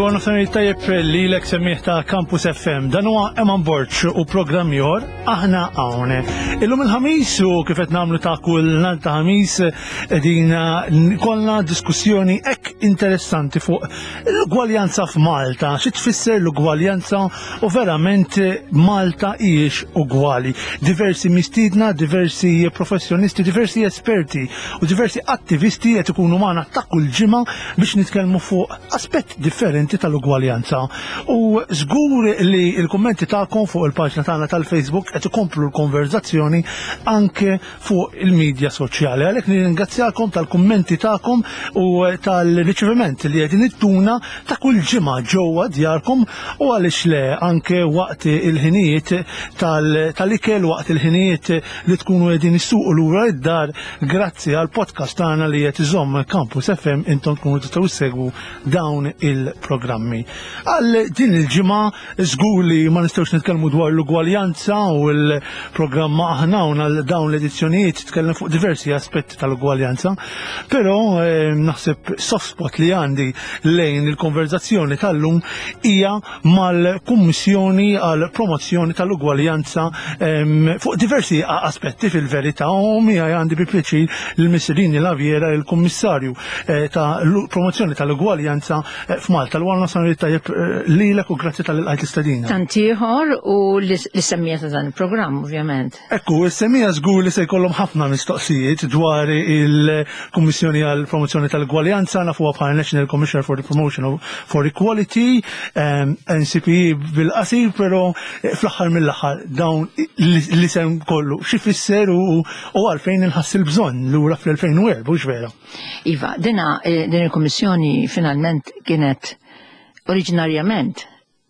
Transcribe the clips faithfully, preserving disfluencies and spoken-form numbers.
Il-għor nofsani tajjeb li l semmiħ ta' Campus F M. Dan huwa Eman Borg u programm ieħor Aħna Hawn. Illum il-Ħamis, u kif qed nagħmlu ta' kull nhar ta' Ħamis, qegħdin kollna diskussjoni hekk interessanti fuq l-ugwaljanza f'Malta. Xi tfisser l-ugwaljanza u verament Malta hijiex ugwali? Diversi mistiedna, diversi professjonisti, diversi esperti u diversi attivisti qed ikunu magħna ta' kull ġimgħa biex nitkellmu fuq aspett differenti tal-ugwaljanza. U żgur li il-kummenti tagħkom fuq il-paġna tagħna tal-Facebook qed ikomplu l-konverzazzjoni anke fuq il-medja soċjali. Għalhekk nirringrazzjakom tal-kummenti tagħkom u tal-riċeviment li qegħdin ittuna ta' kull ġimgħa ġewwa djarkom u, għaliex le, anke waqt il-ħinijiet tal-ikel, waqt il-ħinijiet li tkunu qegħdin issuqu lura id-dar, grazzi għal podcast tagħna li qed iżomm Campus F M, intom tkunu tistgħu ssegwu dawn il-programmi. Għal din il-ġimgħa żgur li ma nistgħux nitkellmu dwar l-ugwaljanza, u l-programma Aħna Hawn għal dawn l-edizzjonijiet tkellem fuq diversi aspetti tal-ugwaljanza, però eh, naħseb soft spot li għandi lejn il-konverzazzjoni tal-lum hija mal-Kummissjoni għal Promozzjoni tal-Ugwaljanza em, fuq diversi aspetti fil-verità, u miegħi għandi bi pjaċir l-Miss Laviera, il-Kummissarju eh, ta' promozzjoni tal-ugwaljanza eh, f'Malta. L-għalna sanu tajjeb eh, lilek u grazzi talli lqajt l-istedina. Tant ieħor u l-semmija ta' dan il-programm, ovvjament. Ekku, is-semmiegħa żgur li se jkollhom ħafna mistoqsijiet dwar il-Kummissjoni għal Promozzjoni tal-Ugwaljanza, nafuha bħala National Commissioner for the Promotion of for Equality, um, N C P E bil-qasir, però eh, fl-aħħar mill-aħħar dawn l-isem kollu xi fisser u u għalfejn inħass il-bżonn lura fl-elfejn u erbgħa, hux vera? Iva, dina, eh, din il-Kummissjoni finalment kienet oriġinarjament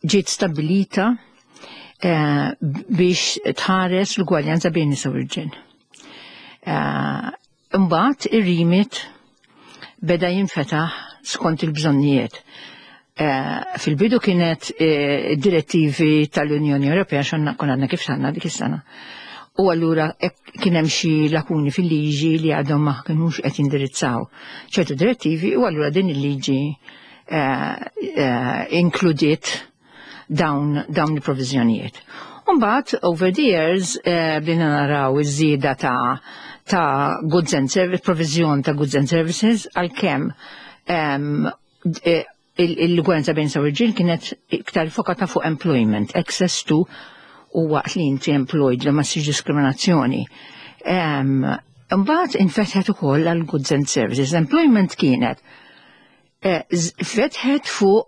ġiet stabilita eh, biex tħares l-ugwaljanza bejn nisa u rġiel. Eh, Imbagħad ir-remit beda jinfetaħ skont il-bżonnijiet. Eh, Fil-bidu kienet eh, direttivi tal-Unjoni Ewropea, xonna konna għadna kif sanna dik is-sena. U allura hekk kien hemm xi lakuni fil-liġi li għadhom ma kinux qed jindirizzaw ċertu direttivi, u allura din il-liġi eh, eh, inkludiet dawn, dawn il-provizjonijiet. Umbagħad, over the years, eh, bdejna naraw iż-żieda ta' ta' goods and services, provizjon ta' goods and services, għalkemm em, eh, il-ugwaljanza bejn nisa u rġiel kienet iktar fokata fuq employment, access to, u waqt li inti employed li ma ssirx diskriminazzjoni. Em, Imbagħad infetħet ukoll għal goods and services. Employment kienet eh, z- fetħet fuq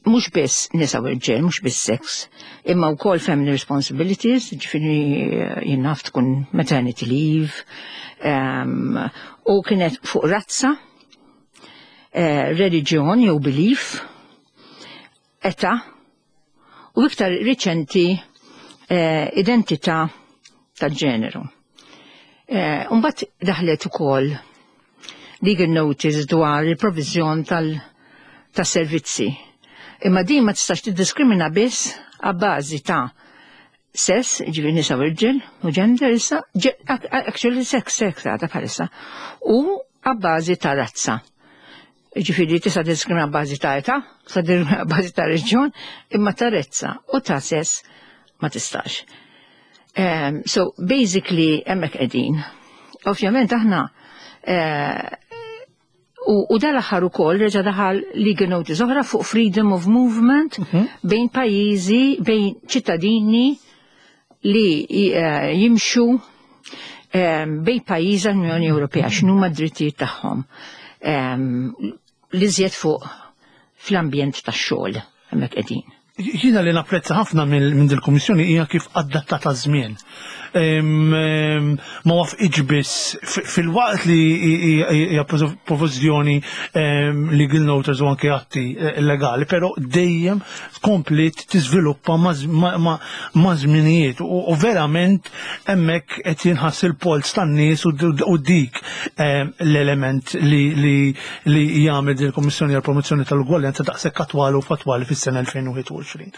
mhux biss nisa u rġiel, mhux biss sex, imma wkoll family responsibilities, ġifieri eh, jien naf tkun maternity leave, um, u kienet fuq razza, eh, reliġjon jew belief, età, u iktar riċenti eh, identità tal-ġeneru. Eh, Umbagħad daħlet ukoll legal notice dwar il-provizjon tal-servizzi. Imma din ma tistax tiddiskrimina biss għabbażi ta' sess, ġifieri nisa u rġiel, u gender issa, actually sex, sex għadha bħalissa, u għabbażi ta' razza. Ġifieri tista' diskrimina għabbażi ta' età, tista' diskrimina għabbażi ta' reġjon, imma ta' razza u ta' sess ma tistax. Um, so basically hemmhekk qegħdin. Ovvjament aħna uh, u, u dal-aħħar ukoll reġa' daħal legal notice oħra fuq freedom of movement mm -hmm. bejn pajjiżi, bejn ċittadini li uh, jimxu um, bejn pajjiżi l-Unjoni Ewropea, x'inhuma d-drittijiet tagħhom. Um, li żjed fuq fl-ambjent tax-xogħol hemmhekk qegħdin. Jiena li napprezza ħafna minn dil-Kummissjoni hija kif adattata żmien. Ma waqfitx biss fil-waqt li hija provizjoni legal notice u anke atti eh, legali, però dejjem komplet tiżviluppa ma' żminijiet u verament hemmhekk qed jinħass il-polz tan-nies, u dik l-element li jagħmel il-Kummissjoni għall-Promozzjoni tal-Ugwaljanza daqshekk attwali u fattwali fis-sena elfejn u wieħed u għoxrin.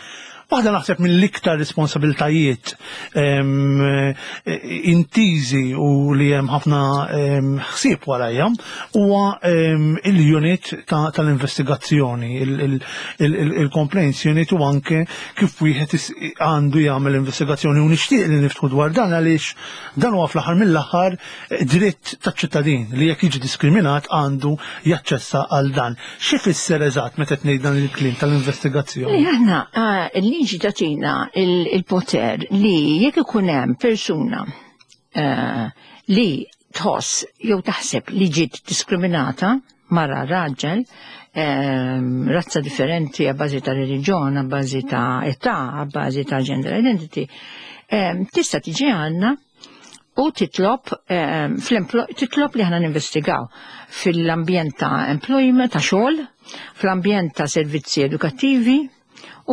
Waħda naħseb mill-iktar responsabiltajiet em, intiżi u li hemm ħafna em, ħsieb warajja huwa em, il-unit ta- tal-investigazzjoni, il-complaints unit, u anke kif wieħed is- għandu jagħmel investigazzjoni, u nixtieq li niftħu dwar dan għaliex dan huwa fl-aħħar mill-aħħar dritt taċ-ċittadin li jekk jiġi diskriminat għandu jaċċessa għal dan. Xi fisser eżatt meta tgħid dan il-kliem tal-investigazzjoni? Li aħna ah, il-liġi tagħtina il- il-poter li jekk ikun hemm persuna eh, li tħoss jew taħseb li ġiet diskriminata, mara, raġel, ehm, razza differenti, a bażi ta' reliġjon, a bażi ta' età, a bażi ta' gender identity, ehm, tista' tiġi għandna u titlob ehm, fl-emplo- titlob li ħana ninvestigaw fil-ambjent ta' employment, ta' xogħol, fl-ambjent ta' servizzi edukattivi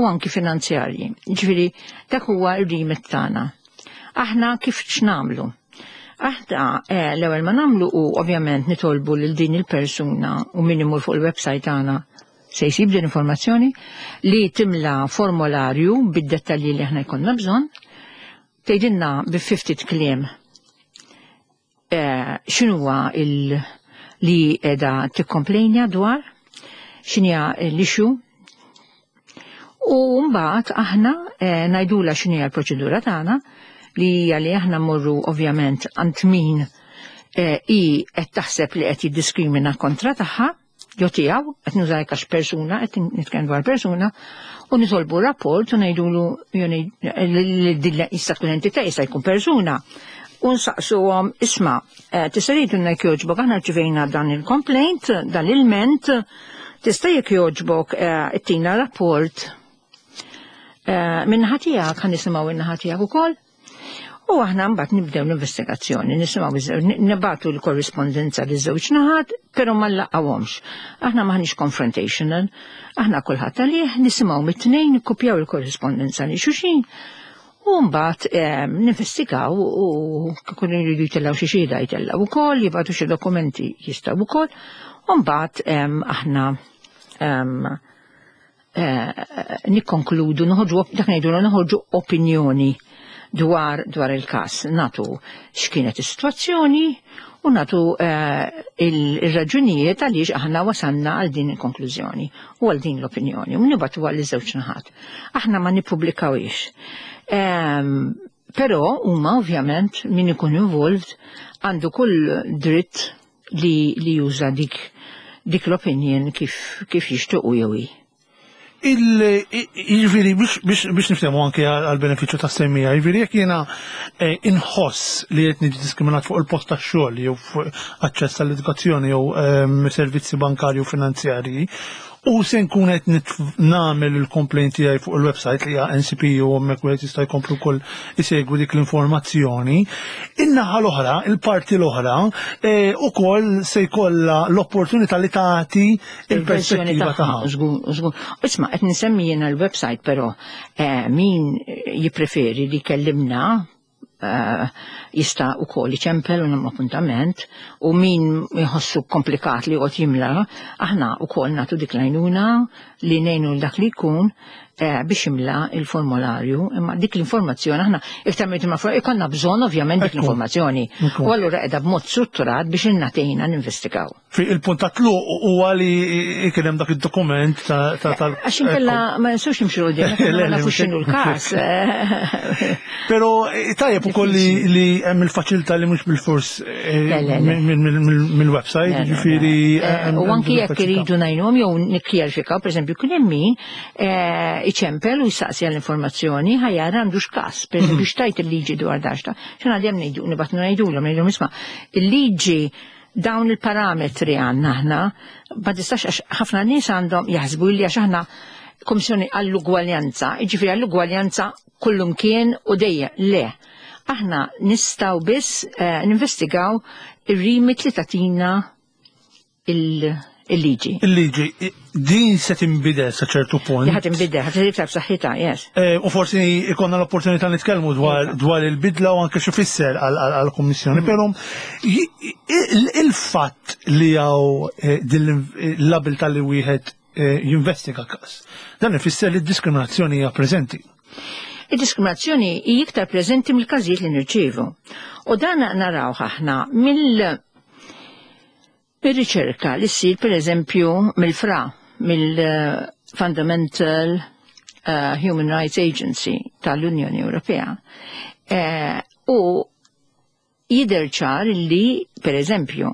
u anki finanzjarji. Ġifieri dak huwa r-remit tagħna. Aħna kif x'nagħmlu? Aħna eh, l-ewwel ma nagħmlu u ovvjament nitolbu lil din il-persuna, u min imur fuq il-website tagħna se jsib din informazzjoni, li timla formolarju bid-dettalji li aħna jkollna bżonn, tgħidilna bi ftit kliem eh, x'inhuwa il li qiegħda tikkomplejnja dwar, x'inhija l-issue, u mbagħad aħna eh, ngħidula x'inhija l-proċedura tagħna, li hija li aħna mmorru ovvjament għand min eh, i qed taħseb li qed jiddiskrimina kontra tagħha jew tiegħu, qed nuża għax persuna, qed nitkellem dwar persuna, u nitolbu rapport u ngħidulu jew ngħid- li din jista' tkun entità, jista' jkun persuna. U nsaqsuhom: "Isma', eh, tista' tgħidulna jekk jogħġbok, aħna rċivejna dan il-complaint, dan il-ment, tista' jekk jogħġbok eh, ittina rapport eh, min-naħa tiegħek, ħa nisimgħu in-naħa tiegħek ukoll?" U aħna mbagħad nibdew l-investigazzjoni, nisimgħu iż- nibagħtu l-korrispondenza li żewġ naħat, però ma nlaqgħuhomx. Aħna maħniex confrontational, aħna kulħadd għalih, nisimgħu mit-tnejn, nikkupjaw il-korrispondenza li xulxin, u mbagħad eh, ninvestigaw, u kieku jridu jtellgħu xi xhieda jtellgħu wkoll, jibagħtu xi dokumenti jistgħu wkoll, u mbagħad em, aħna em, eh, nikkonkludu, noħorġu, dak ngħidu noħorġu opinjoni dwar dwar il-każ, nagħtu x'kienet is-sitwazzjoni u nagħtu eh, il-raġunijiet għaliex aħna wasanna għal din il-konklużjoni u għal din l-opinjoni u nibagħtu għal iż-żewġ naħat. Aħna ma nippubblikawhiex. Ehm, Però huma ovvjament min ikun involved għandu kull dritt li, li juża dik dik l-opinion kif, kif jixtiequ jew hi. Il-ġifieri, biex biex niftehmu anke għal-benefiċċju ta' semmija, ġifieri jekk jiena eh, inħoss li qed niġi diskriminat fuq il-post tax-xogħol jew fuq aċċess għall-edukazzjoni jew ehm, servizzi bankarji u finanzjarji, u se nkun qed nagħmel il-complaint tiegħi fuq il-website li hija N C P U, u hemmhekk wieħed jista' jkomplu wkoll isegwi dik l-informazzjoni. In-naħa l-oħra, il-parti l-oħra, eh, ukoll se jkollha l-opportunità li tagħti il-perspettiva tagħha. Żgur, żgur. Isma', qed nsemmi jiena l-website, però eh, min jippreferi li kellimna eh, jista' ukoll iċempel u nagħmlu appuntament, u min jħossu komplikat li joqgħod jimla, aħna ukoll nagħtu dik l-għajnuna li ngħinu dak li jkun eh, biex jimla il-formularju, imma dik l-informazzjoni aħna iktar minn ma ikollna bżonn ovvjament dik Ekku. l-informazzjoni. Ekku. U allura qiegħda b'mod strutturat biex innatejna ninvestigaw. Fi il-punt ta' tluq huwa li kien hemm dak id-dokument ta' ta' tal. Għax inkella ma nistgħux nimxu 'l quddiem, Le, ma le, nafux mhux x'inhu l-każ. Però eh, tajjeb ukoll li li hemm il-faċilità li mhux bil-fors eh, Le, le, le. mill- mill- mill- mill-website, Le, le, ġifieri le. eh, hemm- U hemm anki din jekk il-faċilità. iridu ngħinuhom jew nikkjarifikaw, pereżempju, kien hemm min eh, iċempel u jsaqsi għall-informazzjoni ħa jara għandux każ, pereżempju x'tgħid il-liġi dwar daxta. X'għana dejjem ngħidu, nibgħatu ngħidulhom, ngħidulhom: "Isma', il-liġi dawn il-parametri għandna aħna, ma tistax", għax ħafna nies għandhom jaħsbu li għax aħna Komissjoni għall-ugwaljanza, jiġifieri għall-ugwaljanza kullum kien u dejjem. Le. Aħna nistgħu biss eh, ninvestigaw ir-remit li tagħtina il- il-liġi. Il-liġi, din se tinbidel sa ċertu punt. Li ħa tinbidel, ħa iktar b'saħħitha, yes. Eh, U forsi ikonna l-opportunità nitkellmu dwar, Iva. dwar il-bidla u anke x'ifisser għal-Kummissjoni. Però il- il-fatt li hawn eh, din l-abilità li wieħed eh, jinvestiga każ. Dan ifisser li d-diskriminazzjoni hija preżenti. Id-diskriminazzjoni hija iktar preżenti mill-każijiet li nirċievu. U dan naraw aħna mill riċerka li ssir, per eżempju, mill-FRA, mill-Fundamental uh, Human Rights Agency tal-Unjoni Ewropea. Uh, u jidher ċar li, per eżempju,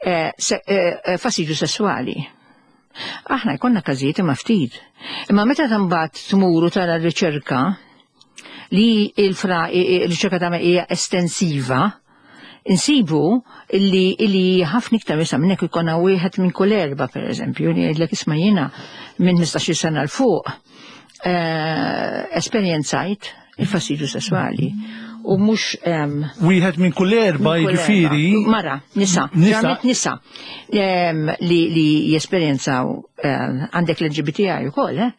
eh, eh, fastidju sessuali. Aħna jkollna każijiet, imma ftit. Imma meta mbagħad tmuru tara r-riċerka li il-FRA, il-riċerka ta' hija estensiva, insibu illi illi ħafna iktar nisa minnek. Jkollna wieħed minn kull erba, per eżempju, li jgħidlek, "Isma', jiena minn ħmistax-il sena 'l fuq eh, esperjenzajt il-fastidju sessuali." U mhux Wieħed minn kull erba, jiġifieri. Mara, nisa, nisa, nisa li li jesperjenzaw, għandek l-L G B T I ukoll, eh?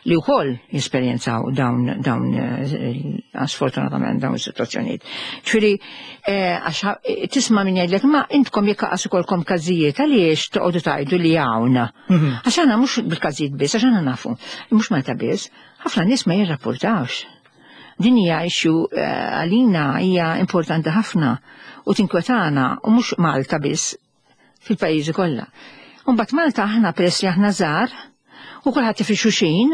Li wkoll jesperjenzaw dawn dawn eh, sfortunatament dawn is-sitwazzjonijiet. Ġifieri eh, għax tisma' min jgħidlek, "Ma intkom jekk qas ikolkom każijiet, għaliex toqgħodu tgħidu li hawn?" Mhm. Għax aħna mhux bil-każijiet biss, għax aħna nafu, mhux Malta biss, ħafna nies ma jirrapportawx. Din hija issue eh, għalina hija importanti ħafna u tinkwetana, u mhux Malta biss, fil-pajjiżi kollha. Mbagħad Malta aħna, peress li aħna żgħar u kulħadd fi xulxin,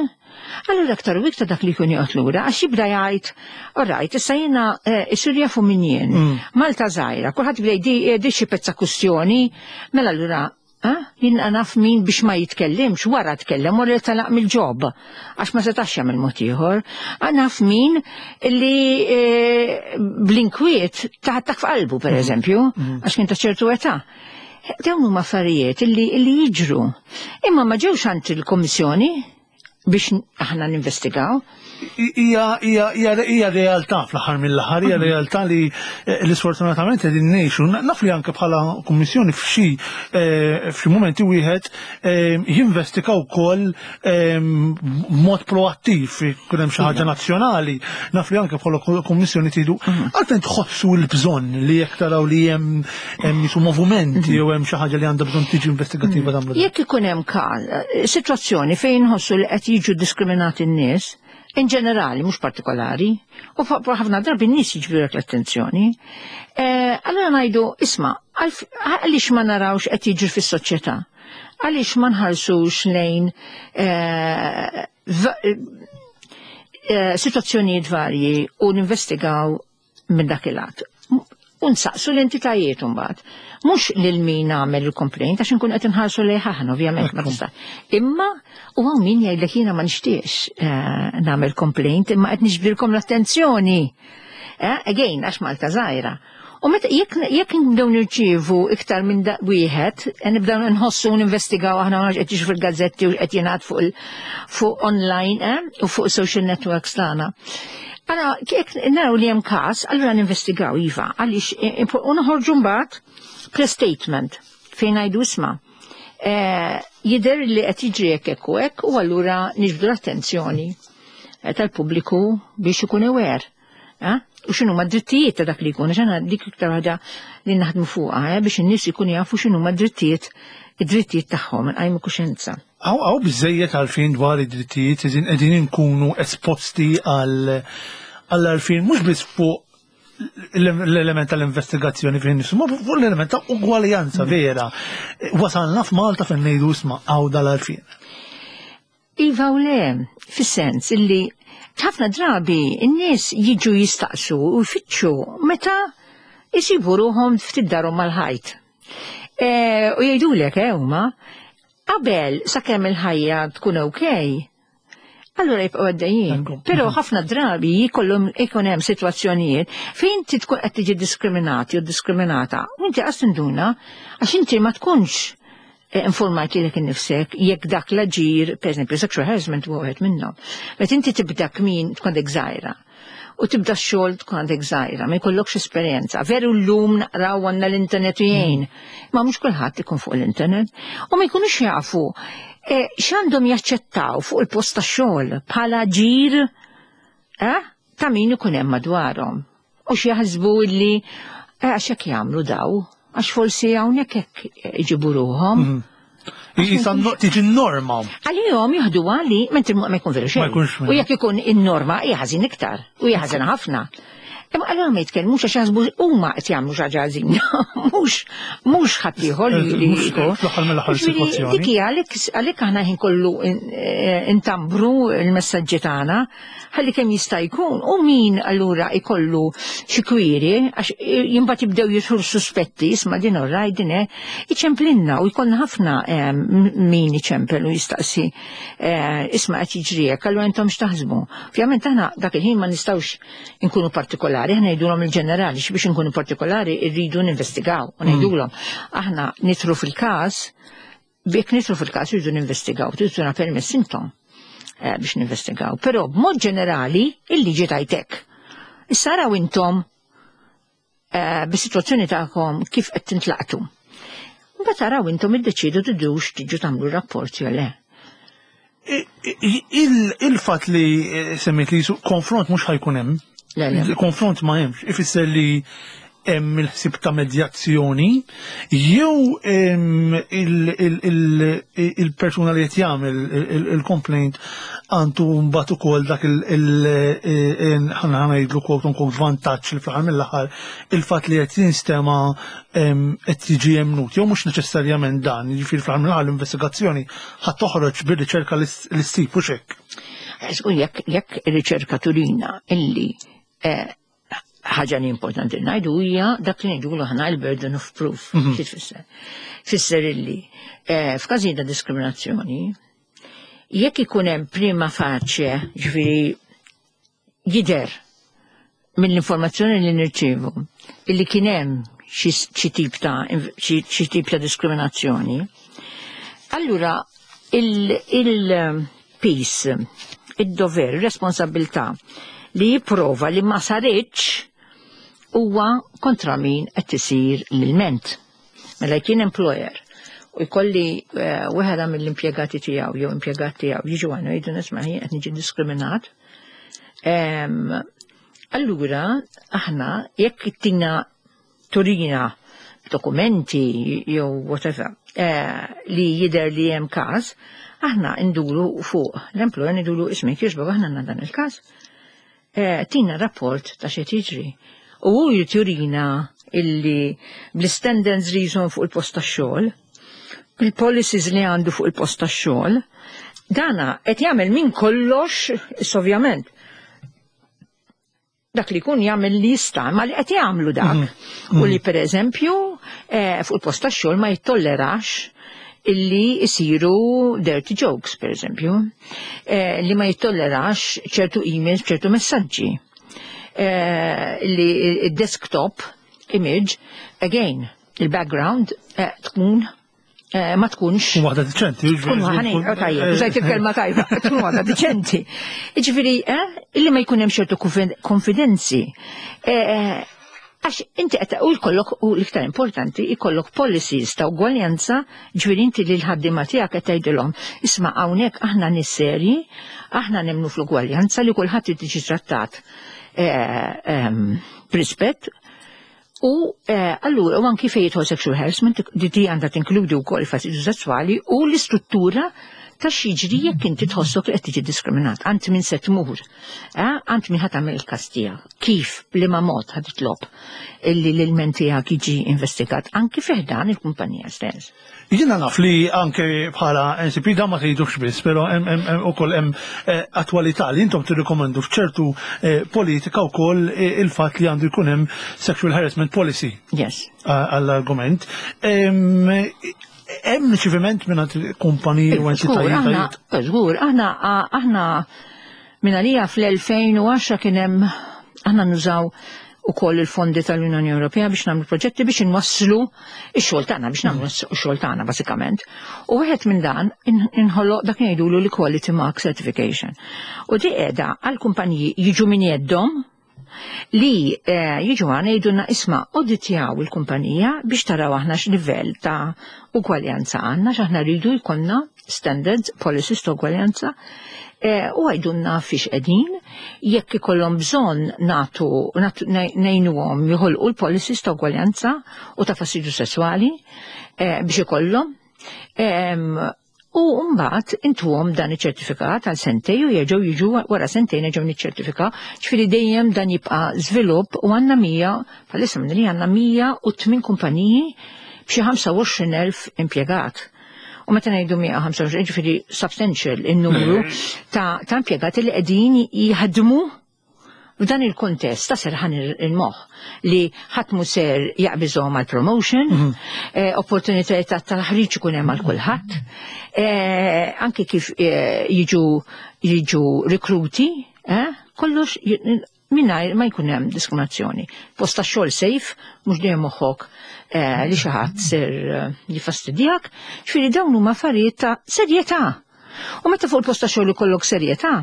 allura aktar u iktar dak li jkun joqgħod lura għax jibda jgħid, "Alright, issa jiena eh, isir jafu min jien." Mm. Malta żgħira, kulħadd jibda jgħid xi pezza kustjoni, mela allura jien naf min biex ma jitkellimx, wara tkellem u li talaq mill-job, għax ma setax jagħmel mod ieħor. Naf min li e, bl-inkwiet taħtak f'qalbu, per mm. eżempju, mm. għax kien ta' ċertu età. Dawn huma affarijiet illi jiġru. Imma ma ġewx għand il-Kommissjoni biex aħna ninvestigaw. Hija realtà fl-aħħar mill-aħħar, hija realtà li eh, li sfortunatament qegħdin ngħixu. Naf li anke bħala kummissjoni f'xi eh, f'xi mumenti wieħed eh, jinvestiga wkoll mod proattiv, ikun hemm xi ħaġa nazzjonali. Naf li anke bħala kummissjoni tridu mhm. għalfejn tħossu l-bżonn li jekk taraw li hemm hemm jisu movimenti mhm. jew hemm xi ħaġa li għandha bżonn tiġi investigattiva mhm. tagħmlu. Jekk ikun hemm sitwazzjoni fejn nħossu li qed jiġu diskriminati n-nies, in ġenerali, mhux partikolari, u ħafna drabi n-nies jiġbdulek l-attenzjoni. Eh, allora ngħidu, "Isma', għaliex ma narawx qed jiġri fis-soċjetà? Għaliex ma nħarsux lejn eh, eh, situazzjonijiet varji u ninvestigaw minn dak il-lat?" U nsaqsu l-entitajiet mbagħad. Mhux lil min għamel il-complaint, għax nkun qed inħarsu lejh aħna, ovvjament, ma tista'. Imma u hawn min jgħidlek, "Jiena ma nixtiex eh, nagħmel complaint, imma qed niġbdilkom l-attenzjoni." Eh, again, għax Malta żgħira. U meta jekk jekk nibdew nirċievu iktar minn da wieħed, eh, nibdew nħossu u ninvestigaw aħna ma qed jiġu fil-gazzetti u qed jingħad fuq il- fuq online eh, u fuq social networks tagħna. Ara, jekk naraw li hemm każ, allura ninvestigaw, iva, għaliex eh, u noħorġu mbagħad press statement fejn ngħidu, "Isma', eh, jidher li qed jiġri hekk, hekk u hekk," u allura niġbdu l-attenzjoni eh, tal-pubbliku biex ikun aware. Eh? U x'inhu ma drittijiet ta' dak li jkun, għax aħna dik iktar ħaġa li naħdmu fuqha, eh? Biex in-nies ikunu jafu x'inhu ma drittijiet id-drittijiet tagħhom, nqajmu kuxjenza. Hawn hawn biżejjed għarfien dwar id-drittijiet, qegħdin qegħdin inkunu esposti għal għall-għarfien mhux biss fuq l-element tal-investigazzjoni fejn nifsu, ma fuq l-element ta' ugwaljanza vera. Wasalna f'Malta fejn ngħidu, "Isma', hawn dal-għarfien"? Iva u le, fis-sens illi ħafna drabi n-nies jiġu jistaqsu u jfittxu meta jisibu ruħhom ftit darhom mal-ħajt. E, u jgħidulek eh, huma qabel, sakemm il-ħajja tkun okej, allura jibqgħu għaddejjin. Ekku. Però ħafna drabi jkollhom ikun hemm sitwazzjonijiet fejn inti tkun qed tiġi diskriminati u diskriminata. U inti qas tinduna għax inti ma tkunx eh, informajt lilek innifsek jekk dak l-aġir, per eżempju, sexual harassment huwa wieħed minnhom. Meta inti tibda kmin tkun għandek żgħira u tibda x-xogħol tkun għandek żgħira, ma jkollokx esperjenza. Veru llum naqraw, għandna l-internet u jgħin, ma mhux kulħadd ikun fuq l-internet u ma jkunux jafu eh, x'għandhom jaċċettaw fuq il-post tax-xogħol bħala ġir eh, ta' min ikun hemm madwarhom. U x'jaħsbu illi eh, għax hekk jagħmlu daw, għax forsi hawnhekk hekk iġibu ruħhom. Jisa tiġi norma. Għalihom jieħdu għali, mentri ma jkun veru xejn. U jekk ikun in-norma hija ħażin iktar, u hija ħażin ħafna. Imma allura ma jitkellmux għax jaħsbu huma qed jagħmlu xi ħaġa ħażina. Mhux mhux ħadd ieħor li Fl-aħħar mill-aħħar sitwazzjoni. Dik hija għalhekk aħna ħin kollu intambru l-messaġġi tagħna ħalli kemm jista' jkun u min allura ikollu xi kwiri għax imbagħad jibdew jidħlu suspetti isma' din orrajt din iċemplinna u jkollna ħafna min iċempel u jistaqsi isma' qed jiġri hekk allura intom x'taħsbu. Ovvjament aħna dak il-ħin ma nistgħux inkunu partikolari, aħna ngħidulhom il-ġenerali biex inkunu partikolari rridu ninvestigaw u ngħidulhom aħna nidħlu fil-każ, jekk nidħlu fil-każ irridu ninvestigaw, triduna permess intom biex ninvestigaw. Però b'mod ġenerali il-liġi tajtek. Issa araw intom bis-sitwazzjoni tagħkom kif qed tintlaqtu. Mbagħad araw intom iddeċiedu tidux tiġu tagħmlu rapport jew le. Il-fatt li semmejt li konfront mhux ħa jkun hemm. Il-konfront ma hemmx, ifisser li hemm il-ħsieb ta' medjazzjoni jew il-persuna li qed jagħmel il-complaint għandu mbagħad ukoll dak il ħa ngħidlu quote unquote vantaġġ li fl-aħħar mill-aħħar il-fatt li qed jinstema' qed jiġi emnut jew mhux neċessarjament dan, jiġifieri fl-aħħar mill-aħħar l-investigazzjoni ħadd toħroġ bir-riċerka li ssib u x'hekk. Jekk jekk ir-riċerka turina illi ħaġa li importanti ngħidu hija dak li ngħidulu aħna il-burden of proof. Xi tfisser? Fisser illi f'każijiet ta' diskriminazzjoni jekk ikun hemm prima facie, ġifieri jidher mill-informazzjoni li nirċievu illi kien hemm xi tip ta' xi tip ta' diskriminazzjoni, allura il-piż, id-dover, ir-responsabilità li jipprova li ma saritx huwa kontra min qed isir l-ilment. Mela jkien employer u jkolli wieħed mill-impjegati tiegħu jew impjegat tiegħu jiġu għandu jgħidu nisma' jien qed niġi diskriminat. Allura aħna jekk tina turina dokumenti jew whatever li jidher li hemm każ, aħna nduru fuq l-employer ngħidulu ismek jogħġbok aħna għandna dan il-każ. Tina rapport ta' xi tiġri. U hu jturina illi bl-standards li jżomm fuq il-post tax-xogħol, bil-policies li għandu fuq il-post tax-xogħol, dana qed jagħmel minn kollox, ovvjament. Dak li jkun jagħmel li jista' ma li qed jagħmlu dak. U li pereżempju fuq il-post tax-xogħol ma jittollerax illi jisiru dirty jokes, per eżempju, li ma jittollerax ċertu emails, ċertu messaġġi. Li il-desktop image, again, il-background tkun ma tkunx. Waħda diċenti. Tkun waħda, tajjeb, użajt il-kelma tajba, tkun waħda diċenti. Jiġifieri, illi ma jkun hemm ċertu konfidenzi. Għax inti qed u jkollok u l-iktar importanti jkollok policies ta' ugwaljanza, ġifieri inti li l-ħaddiema tiegħek qed tgħidilhom isma' hawnhekk aħna nies serji, aħna nemmnu fl-ugwaljanza li kulħadd irid jiġi trattat b'rispett. U allura u anki fejn jidħol sexual harassment di di għandha tinkludi wkoll il-fastidju sesswali u l-istruttura ta' x'jiġri jekk inti tħossok li qed tiġi diskriminat. Għand min se tmur, għand min ħa tagħmel il-każ tiegħek, kif, b'liema mod ħa titlob illi l-ilment tiegħek jiġi investigat anki fih dan il-kumpanija stess. Jiena naf li anke bħala N C P dan ma tgħidux biss, però hemm ukoll hemm attwalità li intom tirrikomendu f'ċertu politika wkoll il-fatt li għandu jkun hemm sexual harassment policy. Yes. Għall-argument. Hemm riċeviment minn kumpaniji u entitajiet? Żgur, aħna aħna minn għalija fl-elfejn u għaxra kien hemm aħna nużaw ukoll il-fondi tal-Unjoni Ewropea biex nagħmlu proġetti biex inwasslu x-xogħol tagħna, biex nagħmlu x-xogħol tagħna bażikament. U wieħed minn dan inħoloq dak ngħidulu l-Equality Mark Certification. U di qiegħda għal kumpaniji jiġu minn jeddhom li jiġu għana jgħidulna isma' auditjaw il-kumpanija biex taraw aħna x'livell ta' ugwaljanza għandna, x'aħna rridu jkollna standards, policies ta' ugwaljanza, u għajdunna fiex qegħdin, jekk ikollhom bżonn nagħtu ngħinuhom joħolqu l-policies ta' ugwaljanza u ta' fastidju sesswali biex ikollhom. Em, U mbagħad intuhom dan iċ-ċertifikat għal sentejn u jerġgħu jiġu wara sentejn jerġgħu niċċertifikaw. Ġifieri dejjem dan jibqa' żvilupp u għandna mija, bħalissa minn li għandna mija u tmien kumpaniji b'xi ħamsa u għoxrin elf impjegat. U meta ngħidu mija u ħamsa u għoxrin, ġifieri substantial in-numru ta', ta' impjegati li qegħdin jaħdmu f'dan il-kontest ta' serħan il-moħħ li ħadd mhu ser jaqbiżhom għal promotion, Mhm. eh, opportunitajiet ta' taħriġ ikun hemm għal kulħadd, eh, anke kif, eh, jiġu, jiġu rekruti, eh, kollox j-, mingħajr ma jkun hemm diskriminazzjoni. Post ta' xogħol safe, mhux dejjem moħħok, eh, li xi ħadd ser, eh, jifastidjak, ġifieri dawn huma affarijiet ta' serjetà. U meta fuq il-post ta' xogħol ikollok serjetà,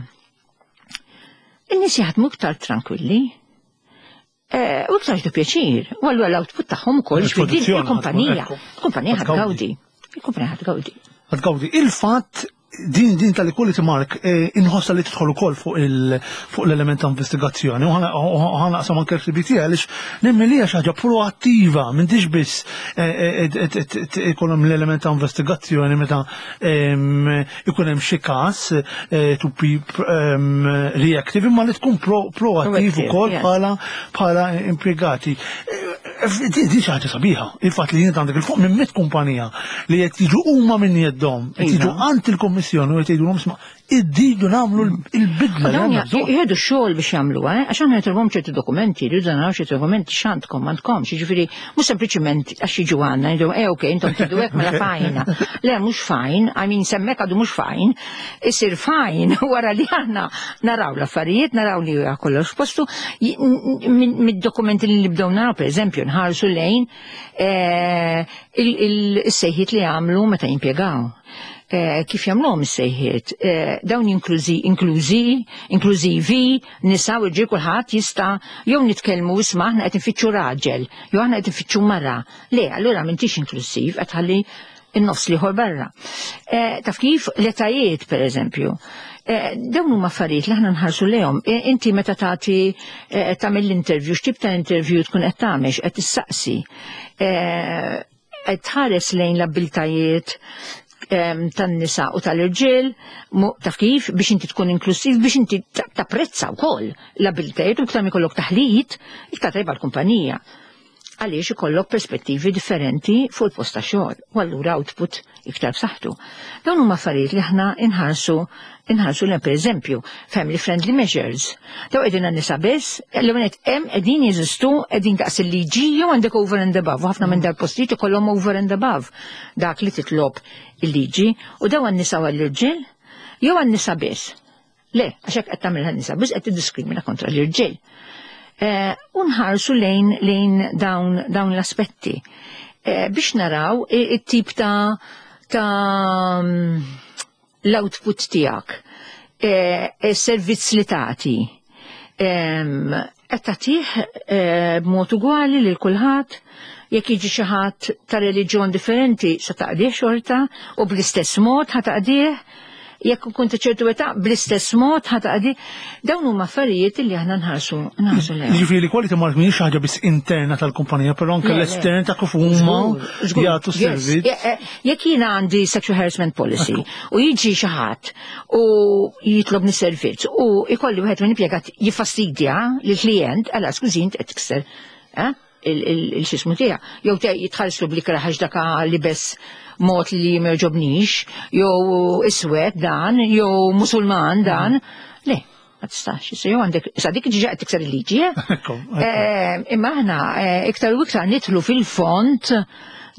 in-nies jaħdmu iktar tranquilli. Eh, u iktar jieħdu pjaċir. U allura l-output tagħhom ukoll, ġifieri din Il-produzzjoni il-kumpanija. ħadd tkun, Il-kumpanija ħadd tgawdi. ħadd tgawdi. Il-kumpanija ħadd tgawdi. Ħadd tgawdi. Il-fatt din, din tal-equality mark, eh, inħossa li tidħol ukoll fuq il-, fuq l-element ta' investigazzjoni. U ħana, u ħana qasam anke l-F T għaliex nemmen li hija xi ħaġa proattiva, m'intix biss, eh, eh, eh, eh, eh, eh, ikollhom l-element ta' investigazzjoni meta, ehm, ikun hemm xi każ, eh, to be, ehm, reactive, imma li tkun pro-, proattiv Proactive, ukoll yes. bħala, bħala impjegati. Eh, eh, di xi ħaġa sabiħa, il-fatt li jien għandek il fuq minn mitt kumpanija li qed jiġu huma minn jeddhom, qed jiġu Iva. għand il-Kummissjoni u qed jgħidulhom isma' iddidu nagħmlu l-bidla li Dawn għandna bżonn. jieħdu x-xogħol biex jagħmluha, eh? Għax aħna nitolbhom ċerti dokumenti, jridu naraw ċerti dokumenti x'għandkom, m'għandkomx, jiġifieri mhux sempliċiment għax jiġu għandna, jgħidu, eh, ok, intom tridu hekk mela fajna. Le, mhux fajn, I mean semmek għadu mhux fajn, isir fajn wara li aħna naraw l-affarijiet, naraw li huwa kollox f'postu, j-, n-, n-, mid-dokumenti li nibdew naraw, pereżempju, nħarsu lejn, eh, il-, il-, is-sejħiet li għamlu meta jimpjegaw. Eh, kif jagħmluhom is-sejħiet? Eh, dawn inklużi, inklużi, inklużivi, nisa u rġiel kulħadd jista' jew nitkellmu isma' aħna qed infittxu raġel, jew aħna qed infittxu mara. Le, allura m'intix inklużiv, qed ħalli in-nofs l-ieħor barra. Eh, taf kif l-etajiet, pereżempju. Eh, dawn huma affarijiet li aħna nħarsu lejhom. Eh, inti meta tagħti, eh, tagħmel l-interview, x'tip ta' interview tkun qed tagħmel, qed tissaqsi. Eh, qed tħares lejn l-abbiltajiet, em, tan-nisa u tal-irġiel, mu-, taf kif, biex inti tkun inklusiv, biex inti ta-, tapprezza wkoll l-abbiltajiet u iktar ma jkollok taħlit, iktar tajba l-kumpanija. Għaliex ikollok perspettivi differenti fuq il-post ta' xogħol, u allura output iktar b'saħħtu. Dawn huma affarijiet li aħna inħarsu, inħarsu lejn, pereżempju, family friendly measures. Daw qegħdin għan-nisa biss, l-ewwel nett hemm qegħdin jeżistu, qegħdin daqs il-liġi jew għandek over and above, u ħafna minn dal-postijiet ikollhom over and above dak li titlob il-liġi, u daw għan-nisa u għall-irġiel jew għan-nisa biss. Le, għax hekk qed tagħmel għan-nisa biss qed tiddiskrimina kontra l-irġiel. Eh, u nħarsu lejn, lejn dawn, dawn l-aspetti. Eh, biex naraw i-, it-tip ta', ta' l-output tiegħek, eh, is-servizz li tagħti. Em, qed tagħtih, eh, b'mod ugwali lil kulħadd, jekk jiġi xi ħadd ta' reliġjon differenti se taqdih xorta u bl-istess mod ħa taqdih, jekk ikun ta' ċertu età bl-istess mod ħa taqdih. Dawn huma affarijiet li aħna nħarsu, nħarsu lejhom. Jiġifieri l-equality mark mhijiex xi ħaġa biss interna tal-kumpanija, però anke Le, le. l-estern ta' kif huma Żgur, żgur. jagħtu Yes. servizz. Je-, eh, jekk jiena għandi sexual harassment policy u jiġi xi ħadd u jitlobni servizz u jkolli wieħed minn impjegat jiffastidja lill-klient, għala skużi int qed tikser, eh? il-, il-, il-xismu tiegħek. Jew te jitħallslu bl-ikraħ għax dak libes mod li ma jogħġobnix, jew iswed dan, jew musulman dan. Le, ma tistax, issa jew għandek, issa dik ġiġa qed tikser il-liġi, eh? Ekku, ekku. Eh, imma aħna, eh, iktar u iktar nidħlu fil-fond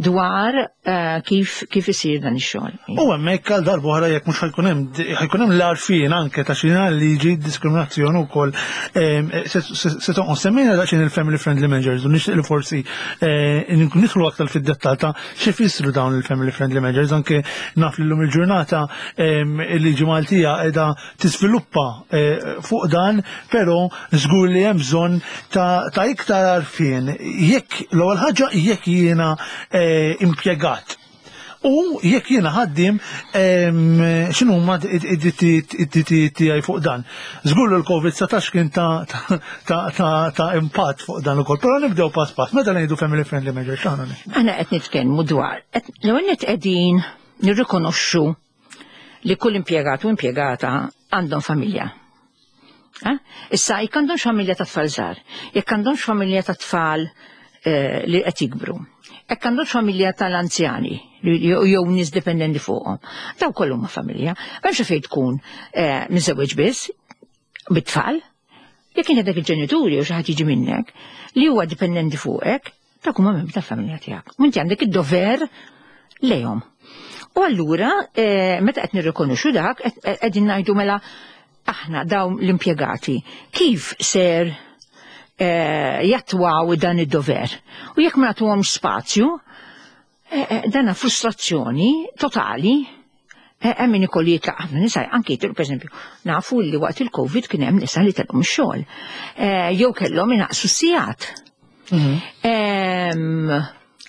dwar, eh, kif, kif isir dan ix-xogħol. U hemmhekk għal darba oħra jekk mhux ħajkun hemm, ħajkun hemm l-għarfien anke ta' xi liġi diskriminazzjoni wkoll, ehm, se, se, se tonqos semmejna daqsxejn il-family friendly measures u nixtieq li forsi, eh, nidħlu aktar fid-dettall ta' xi jfissru dawn il-family friendly measures, anke naf li llum il-ġurnata, ehm, il-liġi Maltija qiegħda tiżviluppa, eh, fuq dan, però żgur li hemm bżonn ta', ta' iktar għarfien. Jekk l-ewwel ħaġa jekk jiena, eh, impjegat U jekk jiena ħaddiem, x'inhu huma id-drittijiet tiegħi fuq dan. Żgur l-Covid dsatax kien ta' ta' impatt fuq dan ukoll. Però nibdew pass pass. Meta ngħidu family friendly measure, x'aħna Aħna qed nitkellmu dwar l-ewwel qegħdin nirrikonoxxu li kull impjegat u impjegata għandhom familja. Issa, jekk għandhomx familja ta' tfal żgħar, jekk għandhomx familja ta' tfal eh, li qed jikbru, jekk għandhomx familja tal-anzjani jew nies dipendenti fuqhom, daw kollu ma' familja. M'hemmx fejn tkun eh, miżewweġ biss bit-tfal, jekk inti dak il-ġenituri u xi ħadd jiġi minnek li huwa dipendenti fuqek, dak huma membri tal-familja tiegħek. U inti għandek id-dover lejhom. U allura, eh, meta qed nirrikonoxxu dak, qegħdin ngħidu mela aħna dawn l-impjegati kif ser eh, jattwaw dan id-dover? U jekk ma nagħtuhomx spazju, eh, eh, dana frustrazzjoni totali. Hemm min ikollu jitlaq, ħafna nisa anki, per esempio, nafu li waqt il-Covid kien hemm nisa li telqu mix-xogħol. Jew kellhom inaqsu sigħat. Mhm.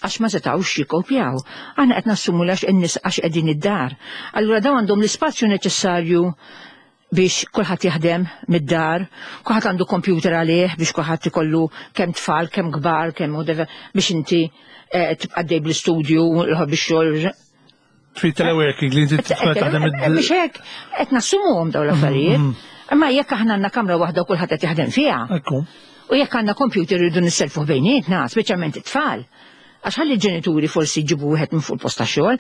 Għax ma setawx jikopjaw. Aħna qed nassumu għax in-nies għax qegħdin id-dar. Allura dawn għandhom l-ispazju neċessarju biex kulħadd jaħdem mid-dar, kulħadd għandu computer għalih biex kulħadd ikollu, kemm tfal, kemm kbar, kemm whatever, biex inti eh, tibqa' dej bl-istudju, l biex xogħol. Fi teleworking li inti taħdem. Biex hekk qed nassumuhom dawn l-affarijiet. Mm, mm. Imma jekk aħna għandna kamra waħda u kulħadd qed jaħdem fiha. U jekk għandna computer rridu nisselfu bejnietna, speċjalment it-tfal. Għax ħalli ġenituri forsi jġibu wieħed minn fuq il-post ta' xogħol,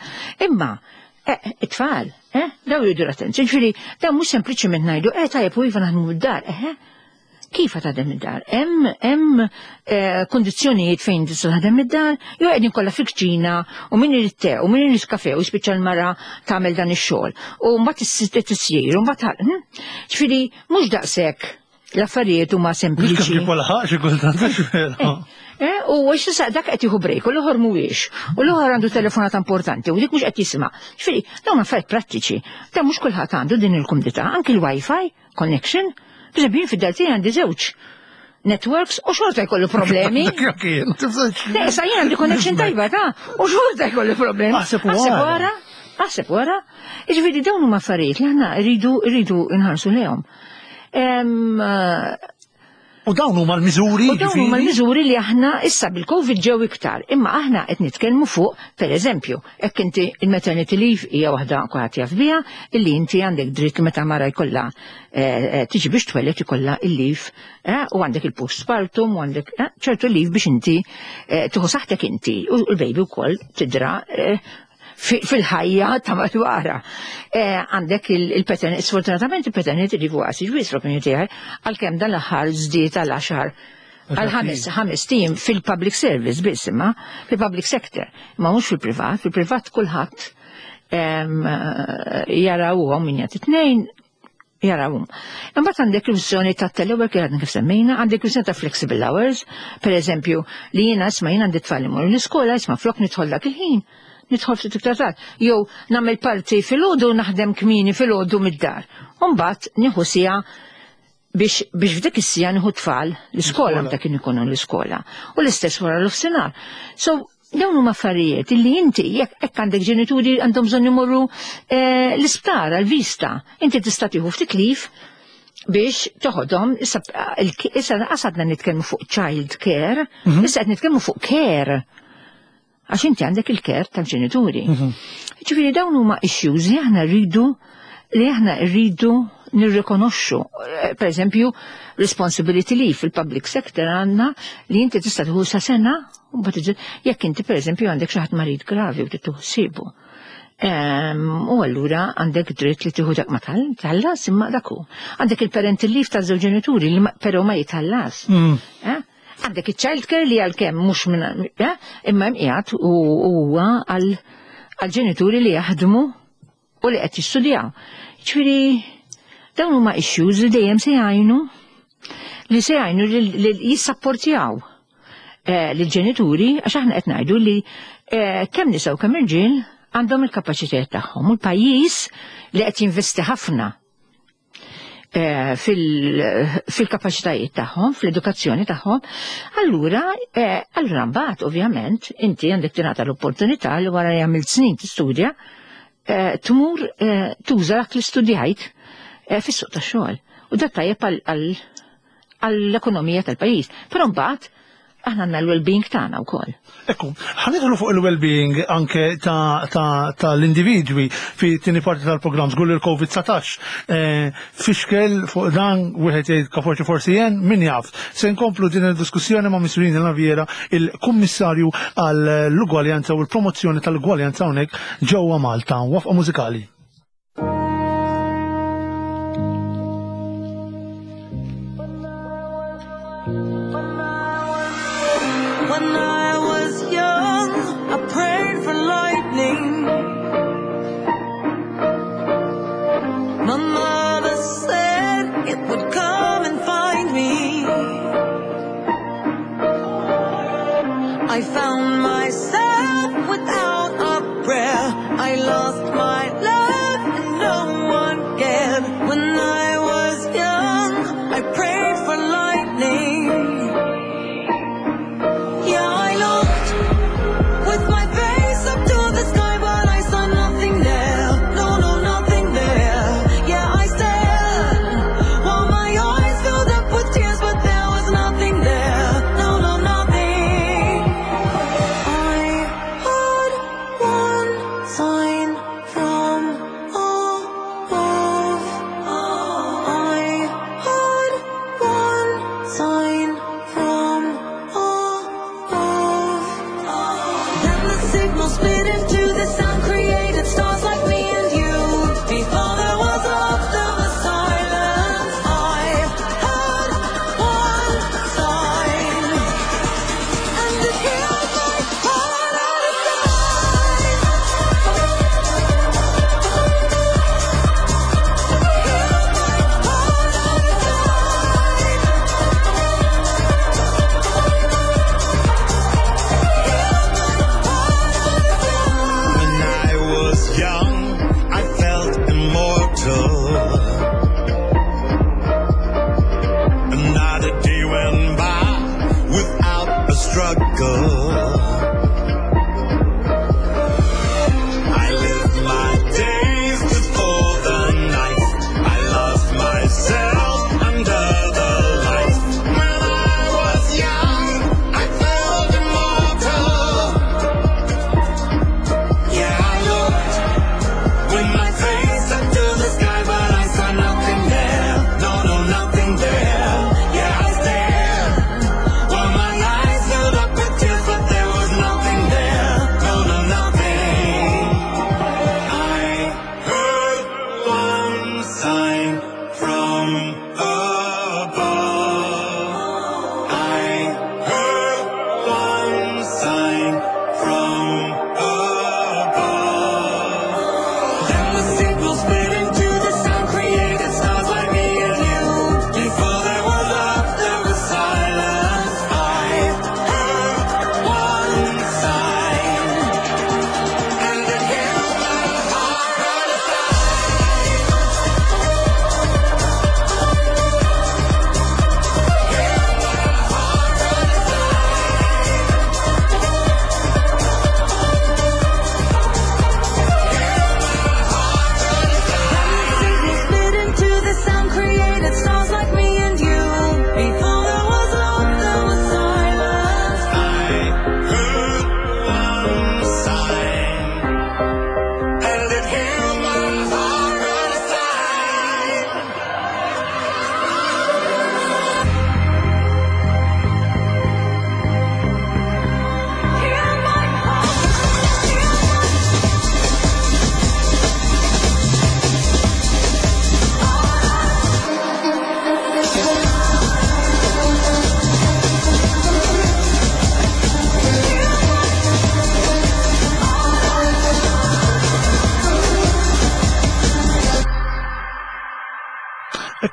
imma eh, it-tfal, eh, daw jridu l-attenzjoni. Ġifieri, daw mhux sempliċement ngħidu, eh tajjeb u iva naħdmu mid-dar, eh, kif taħdem id-dar? Hemm hemm eh, kondizzjonijiet fejn tista' taħdem id-dar, jew qegħdin kollha fil-kċina u min irid te u min irid kafe u spiċċa l-mara tagħmel dan ix-xogħol. U mbagħad tisjir u mbagħad hm? Ġifieri mhux daqshekk l-affarijiet huma sempliċi. Mhux kif xi kultant. Eh, u għax dak qed jieħu break u l-oħor mhuwiex. U l-oħor għandu telefonata importanti u dik mhux qed jisma'. Ġifieri, dawn affarijiet prattiċi. Dan mhux kulħadd għandu din il-kumdità, anki l-Wi-Fi connection. Per eżempju, fid-dar tiegħi għandi żewġ networks u xorta jkollu problemi. Le, sa jien għandi connection tajba ta' u xorta jkollu problemi. Aħseb wara. Aħseb wara. Ġifieri dawn huma affarijiet li aħna rridu rridu nħarsu lejhom. U dawn huma l-miżuri. U dawn huma l-miżuri li aħna issa bil-Covid ġew iktar. Imma aħna qed nitkellmu fuq, per eżempju, hekk inti il-maternity leave hija waħda kulħadd jaf biha, illi inti għandek dritt meta mara jkollha eh, eh, tiġi biex twellet ikollha il-leave eh, u għandek il-postpartum u għandek ċertu leave biex inti tieħu saħtek inti u l-baby wkoll tidra fil-ħajja ta' madwara. Eh, għandek il-paternity, sfortunatament il-paternity leave huwa qasir wisq l-opinjoni tiegħi, għalkemm dan l-aħħar żdied għal għaxar għal ħames ħames tim fil-public service biss, imma fil-public sector, imma mhux fil-privat, fil-privat kulħadd jarawhom min jagħti tnejn jarawhom. Imbagħad għandek il-kwistjoni ta' telework li għadna kif semmejna, għandek kwistjoni ta' flexible hours, per eżempju, li jiena isma' jien għandi tfal imorru l-iskola, isma' flok nidħol dak il-ħin, nidħol ftit iktar tard. Jew nagħmel parti filgħodu, naħdem kmieni filgħodu mid-dar. U mbagħad nieħu siegħa biex biex f'dik is-siegħa nieħu tfal l-iskola meta kien ikunu l-iskola. U l-istess wara l-ofsinhar. So dawn huma affarijiet illi inti jekk hekk għandek ġenituri għandhom bżonn imorru eh, l-isptar għal-vista, inti tista' tieħu ftit leave biex toħodhom. Issa issa qasadna nitkellmu fuq child care, mhm. issa qed nitkellmu fuq care. Għax inti għandek il-care tal-ġenituri. Mhm. Ġifieri dawn huma issues li aħna rridu li aħna rridu nirrikonoxxu. Eh, per eżempju, responsibility leave fil-public sector għandna li inti tista' tieħu sa sena u jekk inti per eżempju għandek xi ħadd marid gravi u tieħu ħsiebu. U allura għandek dritt li tieħu dak ma tħallas, imma dak hu. Għandek il-parental leave ta' żewġ ġenituri li però ma jitħallas. Mm. Eh? Għandek il-child care li għalkemm mhux minn eh? imma qiegħed u huwa għal ġenituri li jaħdmu u li qed jistudjaw. Ġifieri dawn huma issues li dejjem se jgħinu li se jgħinu li jissapportjaw eh, lill-ġenituri, għax aħna qed ngħidu li eh, kemm nisa u kemm irġiel għandhom il-kapaċitajiet tagħhom u l-pajjiż li qed jinvesti ħafna eh, fil-kapaċitajiet tagħhom, fl-edukazzjoni tagħhom, allura eh, allura mbagħad ovvjament inti għandek tingħata l-opportunità li wara li għamilt snin tistudja eh, tmur tuża dak li studjajt fis-suq tax-xogħol. U dak tajjeb għall-ekonomija tal-pajjiż. Però mbagħad aħna għandna l-well-being tagħna wkoll. Ekku, ħa nidħlu fuq il-well-being anke ta' tal-individwi fi tieni parti tal-programm żgur il-Covid dsatax. Fixkel fuq dan wieħed jgħid kaforċi forsi jen, min jaf. Se nkomplu din il-diskussjoni ma' Miss Rina Naviera, il-Kummissarju għall-Ugwaljanza u l-Promozzjoni tal-Ugwaljanza hawnhekk ġewwa Malta. Waqfa mużikali. When I was young, I prayed for lightning. My mother said it would come and find me. I found myself without a prayer. I lost my love and no one cared. When I was young, I prayed for lightning. Yeah, I looked with my face up to the sky, but I saw nothing there. No, no, nothing there. Yeah, I stared while my eyes filled up with tears, but there was nothing there. No, no, nothing. I heard one sign from above. I heard one sign from above. Then the signal split into the sound, created stars like me and you. Before there was love, there was silence. I heard one sign, and it healed my heart out of time. Healed my heart out of time. Healed my heart out of time.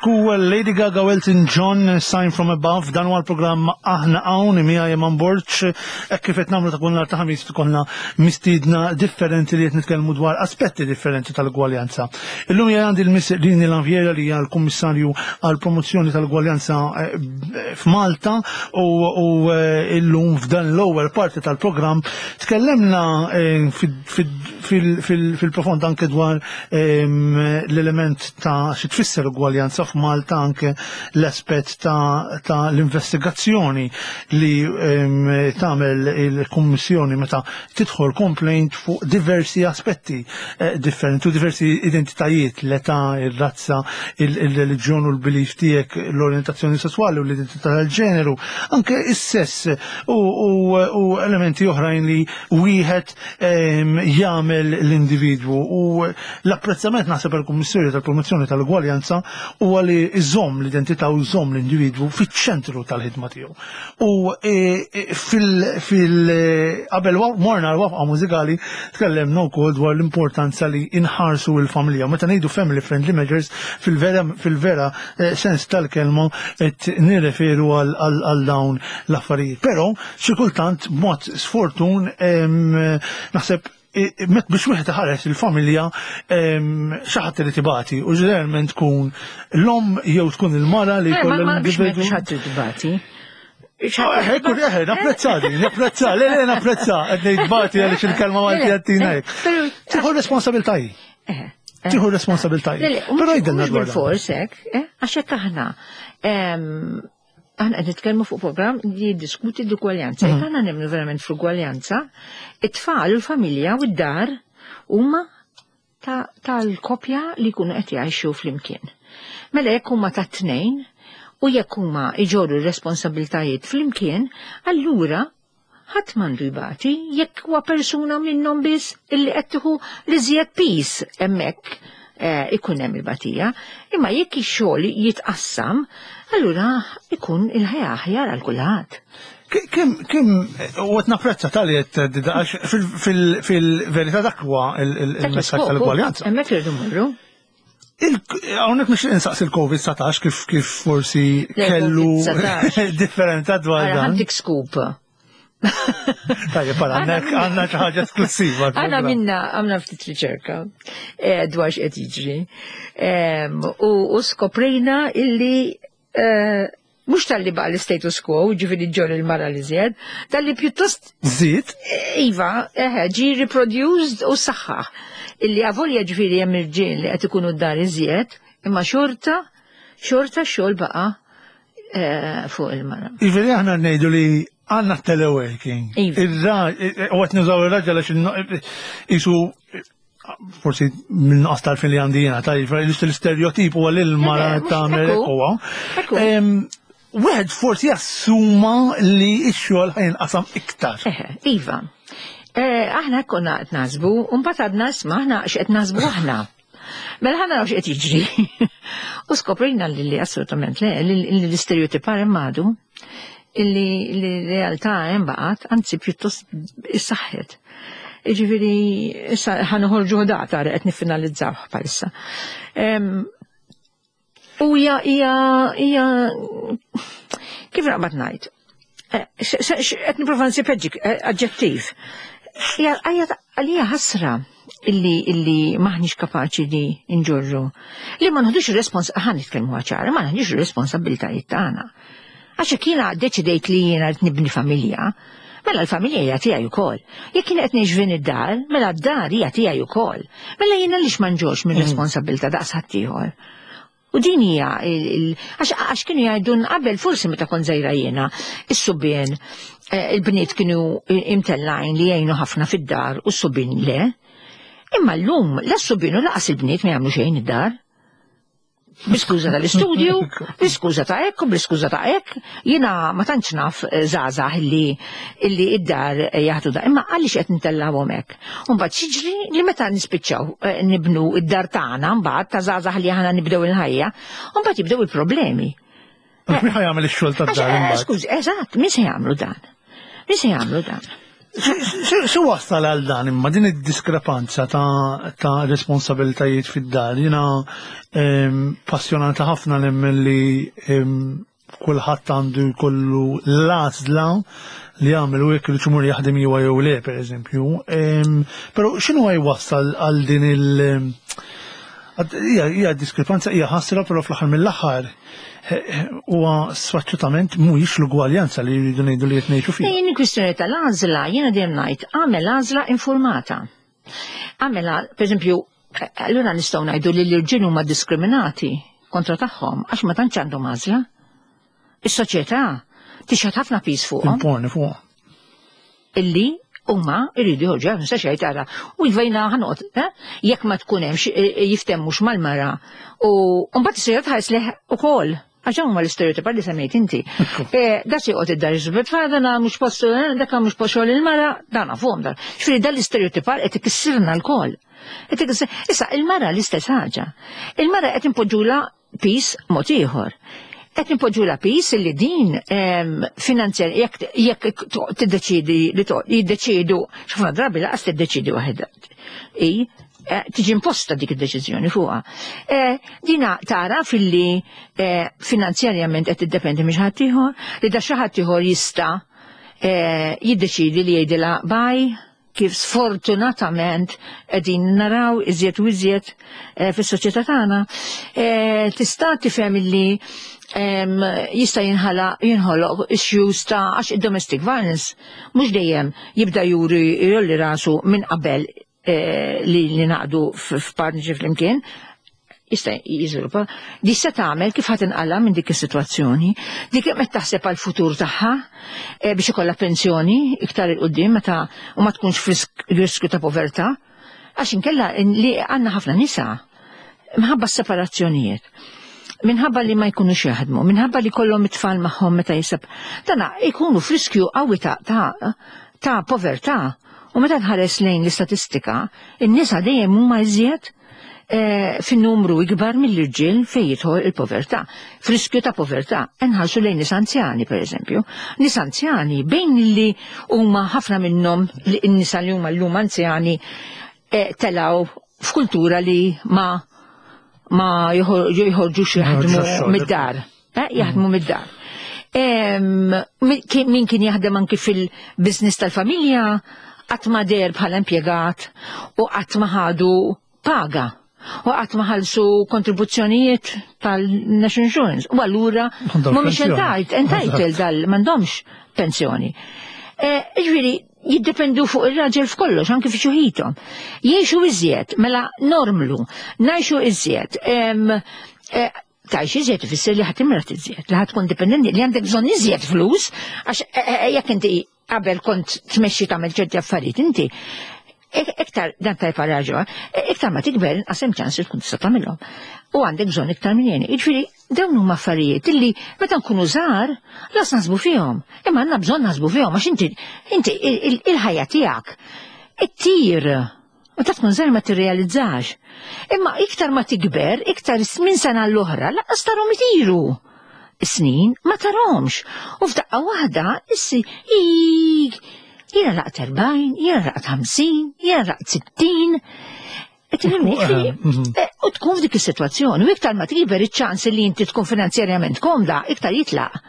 Ekku Lady Gaga, Elton John, Sign from Above. Dan huwa l-programm Aħna Hawn, miegħi Eman Borg, hekk kif qed nagħmlu ta' kull nhar ta' Ħamis, ikollna mistiedna differenti li qed nitkellmu dwar aspetti differenti tal-ugwaljanza. Illum hija għandi l-Miss Rini Lanviera li hija l-Kummissarju għall promozzjoni tal-ugwaljanza eh, f'Malta u u, eh, illum f'dan l-ewwel parti tal-programm tkellemna eh, fil- fil- fil-profond anke dwar ehm, l-element ta' xi tfisser ugwaljanza f'Malta, anke l-aspett ta', ta l-investigazzjoni li ehm, tagħmel il-Kummissjoni meta tidħol complaint fuq diversi aspetti eh, differenti u diversi identitajiet, l-età, ir-razza, il-reliġjon u l-belief tiegħek, l-orientazzjoni sessuali u l-identità tal-ġeneru, anke is-sess u, u, u elementi oħrajn li wieħed ehm, jagħmel l-individwu, u l-apprezzament naħseb il-Kummissjoni tal-Promozzjoni tal-Ugwaljanza huwa li iżomm l-identità u iżomm l-individwu fiċ-ċentru tal-ħidma tiegħu. U e, e, fil fil qabel morna l-waqfa mużikali tkellemna wkoll dwar l-importanza li inħarsu l-familja. Meta ngħidu family friendly measures, fil-vera fil-vera eh, sens tal-kelma qed nirreferu għal għal dawn l-affarijiet. Però xi kultant b'mod sfortun em, naħseb met biex wieħed iħares il-familja, xi ħadd irid ibati u ġeneralment tkun l-om jew tkun il-mara li Eh, ma jkollha ma biex l-individwu. xi ħadd tibati. Eh, Ekku, eh, napprezza din, napprezza, le, le, napprezza, qed ngħid bati għaliex il-kelma Malti għattina hekk. Tieħu responsabilità hi. Tieħu responsabilità hi. Le, le, Però jgħidilna mhux dwar dan. bil-fors hekk, eh, għax hekk aħna em, aħna qed nitkellmu fuq programm li jiddiskuti l-ugwaljanza. Jekk aħna nemmnu verament fl-ugwaljanza, it-tfal u l-familja u d-dar huma ta- tal-kopja li jkunu qed jgħixu flimkien. Mela jekk huma ta' tnejn u jekk huma iġorru r-responsabiltajiet flimkien, allura ħadd m'għandu jbati jekk huwa persuna minnhom biss illi qed tieħu l-iżjed piż hemmhekk eh, ikun hemm il-batija. Imma jekk ix-xogħol jitqassam, allura ikun il-ħajja aħjar għal kulħadd. Kim, kim, u qed napprezza tal-li qed għax fil-verità dak huwa il-messaġġ tal-ugwaljanza. Hemmhekk irridu mmorru. Hawnhekk mhux insaqsi il-Covid dsatax kif kif forsi Le, kellu Covid dsatax. differenta dwar Ara dan. ħa ntik scoop. Tajjeb, para, għandek għandna xi ħaġa esklusiva. Għana minna għamna ftit riċerka eh, dwar x'qed jiġri. Em, U u skoprejna illi eh, mhux talli baqa l-status quo, ġifieri ġol il-mara li żjed, talli pjuttost Żid, Iva, eħe, ġi reproduced u saħħaħ. Illi avolja ġifieri hemm irġiel li qed ikunu d-dar iżjed, imma xorta, xorta xogħol baqa eh, fuq il-mara. Ġifieri aħna ngħidu li għandna teleworking. Iva. Ir-raġel, u qed nużaw ir-raġel għax inno- isu forsi minn nuqqas tal-fin li għandi jiena, tajjeb, l-istereotip huwa li l-mara Le, le, mhux tagħmel ekku. hekk huwa. Ekku. Em, Wieħed forsi jassuma li x-xogħol ħa jinqasam iktar. Eħe, iva. Eh, aħna konna qed naħsbu, u mbagħad għadna isma' aħna x'qed naħsbu aħna. Mela ħa naraw x'qed jiġri. U skoprejna li li assolutament le, li li l-istereotipar hemm għadu, illi li realtà hemm baqgħet, anzi pjuttost issaħħet. Ġifieri, issa ħa noħorġu data qed niffinalizzaw bħalissa. Em, U hija hija hija kif naqbad ngħid? Eh, x- x- x- Qed nipprova nsib eh, aġġettiv. Hija hija għalija ħasra illi illi maħniex kapaċi li nġorru. Li ma nħodux ir-respons ħa nitkellmu ċara, ma nħodux ir-responsabbiltajiet tagħna. Għax jekk jiena deċidejt li jiena qed nibni familja, mela l-familja hija tiegħi wkoll. Jekk jiena qed ngħix f'din id-dar, mela d-dar hija tiegħi wkoll. Mela jiena lix ma nġorx minn responsabbiltà daqs ħaddieħor. U din hija il- il- għax għax kienu jgħidun qabel forsi meta kont żgħira jiena, is-subien eh, il-bniet kienu imtellajn li jgħinu ħafna fid-dar u s-subien le. Imma llum la s-subien u lanqas il-bniet ma jagħmlu xejn id-dar. Bl-iskuża tal-istudju, bl-iskuża ta' hekk u bl-iskuża ta' hekk, jiena ma tantx naf eh, żgħażagħ illi illi id-dar eh, jaħdu da. Imma għaliex qed ntellgħuhom hekk? U mbagħad xiġri li meta nispiċċaw eh, nibnu id-dar tagħna mbagħad ta' żgħażagħ li aħna nibdew il-ħajja, u mbagħad jibdew il-problemi. Min ħa jagħmel ix-xogħol Għax, tad-dar eh, imbagħad? Skużi, eżatt, min se jagħmlu dan? Min se jagħmlu dan? Xi wasal għal dan imma din id-diskrepanza ta', ta responsabilitajiet fid-dar? Jiena em, passjonata ħafna nemmen li em, kulħadd għandu jkollu l-għażla li jagħmel u jekk irid imur jaħdem jew jew le, pereżempju. Em, Però x'inhu jwassal għal din il- Għad- Hija hija diskrepanza, hija ħasra, però fl-aħħar mill-aħħar eh, eh, huwa sfaċċatament mhuwiex l-ugwaljanza li jridu ngħidu li qed ngħixu fiha. Jien kwistjoni tal-għażla, jiena dejjem ngħid, għamel għażla informata. Għamel, per eżempju, allura nistgħu ngħidu li l-irġiel huma diskriminati kontra tagħhom għax ma tantx għandhom għażla. Is-soċjetà tixħet ħafna piż fuqhom Imponi fuq. Illi huma jridu joħorġu, għax nistax jgħid tara u jvejna ħanqod, eh? Jekk ma tkun hemmx eh, jiftemmux mal-mara u mbagħad is-soċjetà tħares leh ukoll. Għax huma l-istereotipar li semmejt inti. Eh, Da se joqgħod id-dar iżbet dana mhux postu, eh, dak mhux post xogħol il-mara, dan nafhom dan. Ġifieri dan l-istereotipar qed ikissirna lkoll. Qed ikissir- Issa il-mara l-istess ħaġa. Il-mara qed impoġġula piż mod ieħor. Qed impoġġula piż li din em, finanzjar jekk jekk tiddeċidi li to- jiddeċidu, ħafna drabi laqas tiddeċidi waħedha. I eh, tiġi imposta dik id-deċiżjoni fuqha. Eh, Dina tara filli eh, finanzjarjament qed tiddependi minn xi ħadd ieħor, li da xi ħadd ieħor jista' eh, jiddeċidi li jgħidilha bye, kif sfortunatament qegħdin naraw iżjed u iżjed eh, fis-soċjetà tagħna. Eh, Tista' tifhem illi em, jista' jinħala jinħoloq issues ta' għax id-domestic violence mhux dejjem jibda juri jolli rasu minn qabel eh, li li naqdu f'partnership flimkien, jista' jiżviluppa. Di se tagħmel, kif ħadd inqala minn dik is-sitwazzjoni, dik qed taħseb għal futur tagħha eh, biex ikollha pensjoni iktar 'il quddiem meta u ma tkunx f'riskju ta' povertà. Għax inkella in- li għandna ħafna nisa minħabba s-separazzjonijiet, minħabba li ma jkunux jaħdmu, minħabba li kollhom it-tfal magħhom meta jisab. Dana jkunu f'riskju qawwi ta' ta' ta' povertà. U meta tħares lejn l-istatistika, in-nisa dejjem huma iżjed eh, fin-numru ikbar mill-irġiel fejn jidħol il-povertà. F'riskju ta' povertà, nħarsu lejn nies anzjani, per eżempju. Nies anzjani bejn li huma ħafna minnhom li n-nisa li huma llum anzjani eh, telaw f'kultura li ma ma joħor- joħorġux jaħdmu għax-xogħol. mid-dar. Eh, jaħdmu mid-dar. Em, min kien min kien jaħdem anki fil-biznis tal-familja, qatt ma deher bħala impjegat u qatt ma ħadu paga u qatt ma ħallsu kontribuzzjonijiet tal-National Insurance. U allura M'għandhomx mhumiex pensjoni. entitled entitled dal m'għandhomx pensjoni. Eh, Ġifieri, jiddependu fuq ir-raġel f'kollox, anki fi xjuħithom. Jgħixu iżjed, mela normlu, ngħixu iżjed. Em, eh, Tgħix iżjed ifisser li ħa timrad iżjed, li ħa tkun dipendenti, li għandek bżonn iżjed flus, għax eh, eh, jekk inti qabel kont tmexxi tagħmel ċerti affarijiet, inti ik- iktar dan tajb raġo, iktar ma tikber inqas hemm ċans li tkun tista' tagħmilhom. U għandek bżonn iktar minn jeni. Jiġifieri dawn huma affarijiet illi meta nkunu żgħar las naħsbu fihom. Imma għandna bżonn naħsbu fihom għax inti inti il- il- il-ħajja tiegħek ittir. Meta tkun żgħar ma tirrealizzax. Imma iktar ma tikber, iktar minn sena l-oħra, laqas tarhom itiru. Snin ma tarhomx. U f'daqqa waħda issi ik jiena lħaqt erbgħin, jiena lħaqt ħamsin, jiena lħaqt sittin. Qed tifhimni? Jiġifieri, Mhm. eh, U tkun f'dik is-sitwazzjoni, u iktar ma tikber iċ-ċans li inti tkun finanzjarjament komda, iktar jitlaq.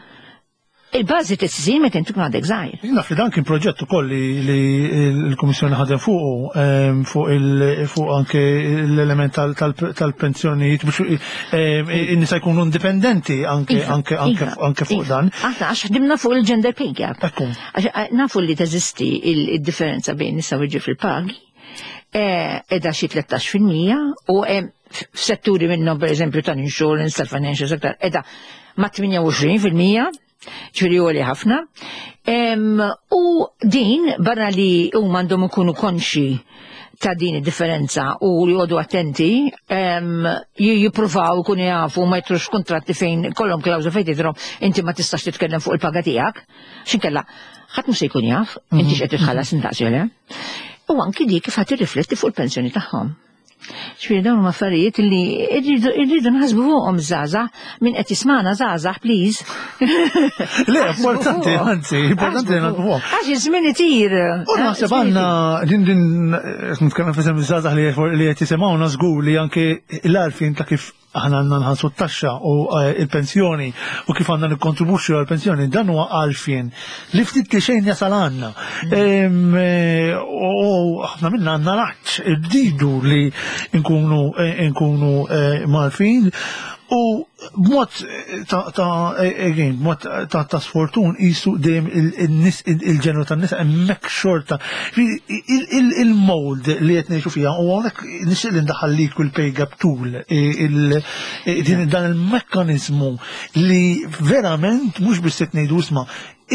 Il-bażi tissir meta inti tkun għadek żgħir. Naf li dan kien proġett ukoll li, li l-Kummissjoni ħadem fuqu em, fuq il fuq anke l-element tal- tal- tal-pensjonijiet biex em, in-nisa jkunu indipendenti anke Iva, anke anke iva, anke fuq iva. dan. Aħna għax ħdimna fuq il-gender pay gap. Ekku. Għax eh, nafu li teżisti il-differenza bejn nisa u rġiel fil-pagi, eh, edha xi tlettax fil-mija u hemm f'setturi minnhom, per eżempju tal-insurance, tal-financial sector, edha ma' tmienja u għoxrin fil-mija, ġifieri għoli ħafna. Em, U din barra li huma għandhom ikunu konxi ta' din id-differenza u li joqogħdu attenti, em, ji- jippruvaw ikunu jafu ma jitrux kontratti fejn kollhom klawżola fejn tidhrom inti ma tistax titkellem fuq il-paga tiegħek, x'inkella ħadd mhux se jkun jaf inti x'qed titħallas indaqs jew le. U anki dik kif ħadd tirrifletti fuq il-pensjoni tagħhom. Ġifieri dawn huma affarijiet li irridu irridu naħsbu fuqhom żgħażagħ, min qed jismana żgħażagħ, please. Le, importanti, anzi, importanti li naħsbu fuqhom. Għax iż-żmien itir. U naħseb għandna din din nitkellem f'isem iż-żgħażagħ li li qed jisimgħuna żgur li anke l-għarfien ta' kif aħna għandna nħallsu t-taxxa u eh, il-pensjoni u kif għandna nikkontribwixxu għall-pensjoni, dan huwa għarfien li ftit li xejn jasal għandna. Em, eh, U ħafna minna għandna l-għatx irridu li nkunu eh, nkunu eh, mgħarrfin u b'mod ta' ta' again, b'mod ta' ta' sfortun jisu dejjem il-nis il-ġeneru tan-nisa hemmhekk xorta. Il-mold li qed ngħixu fiha u hawnhekk nixtieq li ndaħħal l-equal pay gap tool, il- din- dan il-mekkaniżmu li verament mhux biss qed ngħidu isma'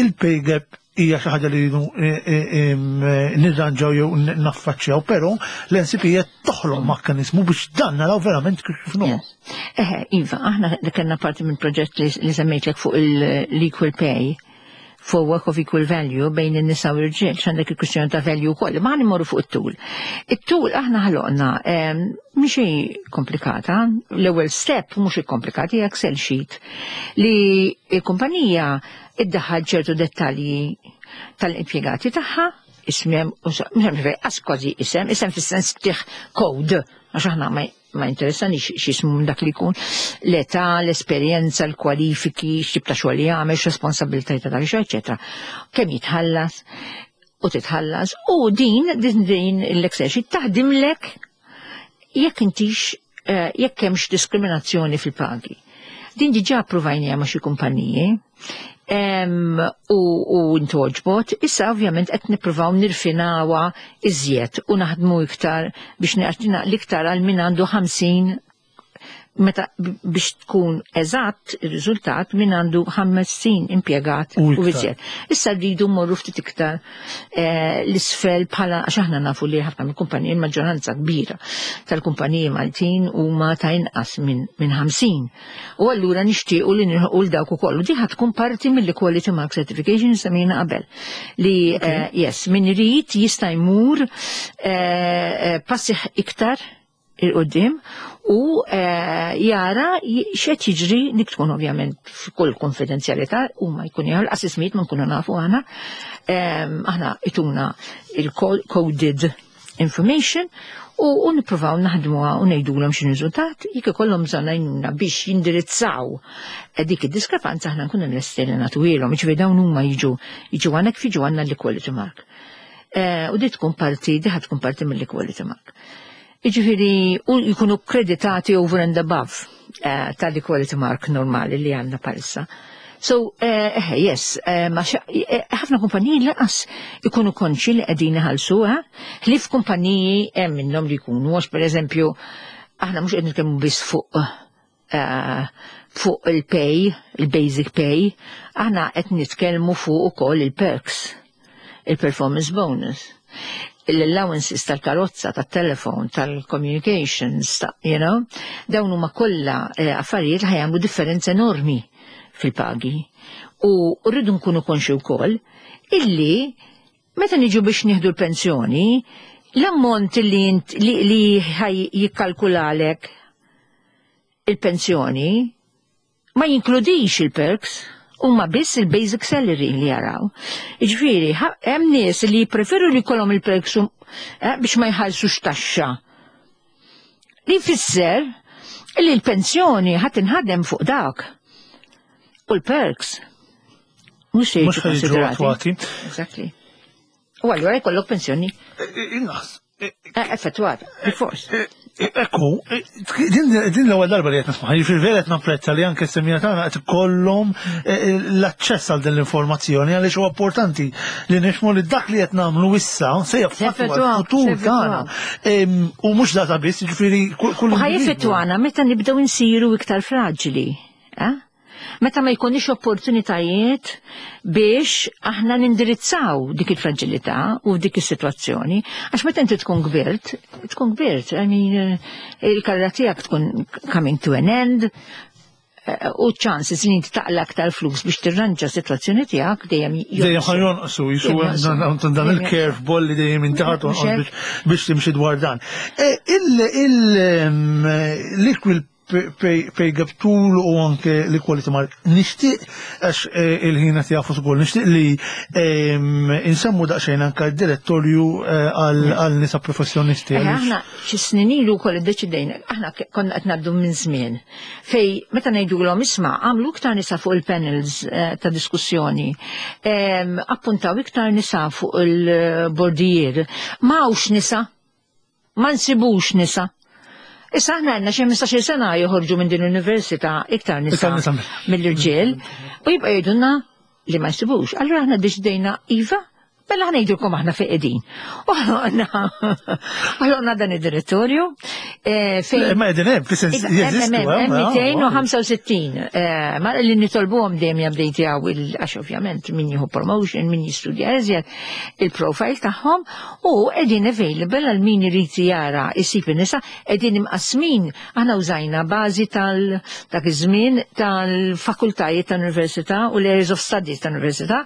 il-pay gap hija xi ħaġa li rridu eh, eh, em, eh, nirranġaw jew naffaċċjaw, però l-N C P qed toħloq mekkaniżmu biex dan naraw verament kif inhu. Yes. Eħe, iva, aħna li kellna parti minn proġett li, li semmejtlek fuq l-equal pay for work of equal value bejn in-nisa u l-irġiel, x'għandek il-kwistjoni ta' value wkoll, ma immorru fuq it-tool. It-tool aħna ħloqna mhix komplikata, l-ewwel step mhux ikkomplikata, hija Excel sheet li l-kumpanija iddaħħal ċertu dettalji tal-impjegati tagħha, ismem, għas kważi isem, isem fis-sens tih code, għax aħna ma ma interessanix x'ismu dak li jkun, l-età, l-esperjenza, l-kwalifiki, x'tip ta' xogħol jagħmel, x'responsabilità ta' dak eċetera. Kemm jitħallas u titħallas u din din din l-Excel sheet taħdimlek jekk intix eh, jekk hemmx diskriminazzjoni fil-pagi. Din diġà approvajnija ma' xi kumpaniji em, u, u ntgħoġbot, issa ovvjament qed nippruvaw nirfinawha iżjed u naħdmu iktar biex naqtina l-iktar għal min għandu ħamsin, meta biex tkun eżatt ir-riżultat min għandu ħamsin impjegat U u iktar. iżjed. Issa rridu mmorru ftit iktar eh, l-isfel bħala għax aħna nafu li ħafna mill-kumpaniji, il-maġġoranza kbira tal-kumpaniji Maltin huma ta' inqas minn min ħamsin. U allura nixtiequ li nilħqu l dawk ukoll. U di ħa tkun parti mill-Equality Mark Certification semmejna qabel. Li eh, yes, min irid jista' jmur eh, eh, passi iktar 'il quddiem u eh, jara j- x'qed jiġri, dik tkun ovvjament f'kull konfidenzjalità u ma jkun jgħal assismiet ma nkunu nafu aħna. Em, aħna ituna il-coded information u, u nippruvaw naħdmuha u ngħidulhom x'inhu riżultat. Jekk ikollhom bżonn għajnuna biex jindirizzaw eh, dik id-diskrepanza, aħna nkunu lesti li nagħtuhielhom, jiġifieri dawn huma jiġu jiġu għandek kif jiġu għandna l-equality mark. Eh, u di tkun parti, di ħa tkun parti mill-equality mark. Iġifieri, u jkunu kreditati over and above eh, tal-equality mark normali li għandna bħalissa. So, eh, eh, yes, eh, ma xa- eh, ħafna kumpaniji lanqas ikunu konxi li qegħdin iħallsu, eh? Ħlief kumpaniji hemm minnhom li jkunu, għax per eżempju, aħna mhux qed nitkellmu biss fuq eh, fuq il-pay, il-basic pay, aħna qed nitkellmu fuq ukoll il-perks, il-performance bonus, l-allowances tal-karozza, tal-telefon, tal-communications, ta, you know, dawn huma kollha eh, affarijiet li ħa jagħmlu differenza enormi fil-pagi. U rridu nkunu konxi wkoll illi meta niġu biex nieħdu l-pensjoni, l-ammont li, int- li, li ħaj jikkalkulalek il-pensjoni ma jinkludix il-perks, huma biss il-basic salary li jaraw. Jiġifieri, ħa- hemm nies li jippreferu li jkollhom il-perks u- eh, biex ma jħallsux taxxa. Li jfisser li l-pensjoni ħa tinħadem fuq dak. U l-perks mhux se Mhux jiġu ħa jiġu konsiderati. attwati. Exactly. U allura jkollok pensjoni Inqas. eh, effettuata, bil-fors. Ekku, din din l-ewwel darba li qed nisma', jiġifieri vera qed napprezza li anke s-semmiegħa tagħna qed ikollhom eh, l-aċċess għal din l-informazzjoni, għaliex huwa importanti li nifhmu li dak li qed nagħmlu issa se jaffettwa Jaffettwa, l-futur se jaffettwa. tagħna. Em, U mhux data biss, jiġifieri kull kull U ħa individwu. jeffettwana meta nibdew insiru iktar fraġili. Eh? Meta ma jkunix opportunitajiet biex aħna nindirizzaw dik il-fragilità u dik is-sitwazzjoni. Għax meta inti tkun kbirt, tkun kbirt, I mean, eh, il-karriera tiegħek tkun coming to an end, U chances li inti taqla aktar flus biex tirranġa sitwazzjoni tiegħek dejjem Dejjem ħa jonqsu, jisu dan il-curve ball li dejjem intaħat biex timxi dwar dan. L-equal pay gap tool u anke l-equality mark. Nixtieq, għax il-ħina tiegħu ukoll, nixtieq li insemmu daqsxejn anke d-direttorju għal nisa professjonisti. Aħna xi snin ilu wkoll iddeċidejna, aħna konna qed ngħaddu minn żmien fej meta ngħidulhom, isma', għamlu iktar nisa fuq il-panels ta' diskussjoni, appuntaw iktar nisa fuq il-bordijiet, m'hawnx nisa, ma nsibux nisa. Issa aħna għandna xi ħmistax-il sena joħorġu minn din l-università iktar nisa mill-irġiel u jibqa' jgħidulna li ma jsibux. Allura aħna deċidejna, iva, mela aħna ngħidulkom aħna fejn qegħdin. U ħloqna dan id-direttorju fejn. Ma qegħdin hemm, fis-sens jeżistu. mitejn u ħamsa u sittin. Ma li nitolbuhom dejjem jabdejtjaw, għax ovvjament min jieħu promotion, min jistudja eżjed, il-profile tagħhom, u qegħdin available għal min irid jara jsib in-nisa. Qegħdin imqasmin, aħna użajna bażi tal dak iż-żmien tal-fakultajiet tal-università u l-areas of studies tal-università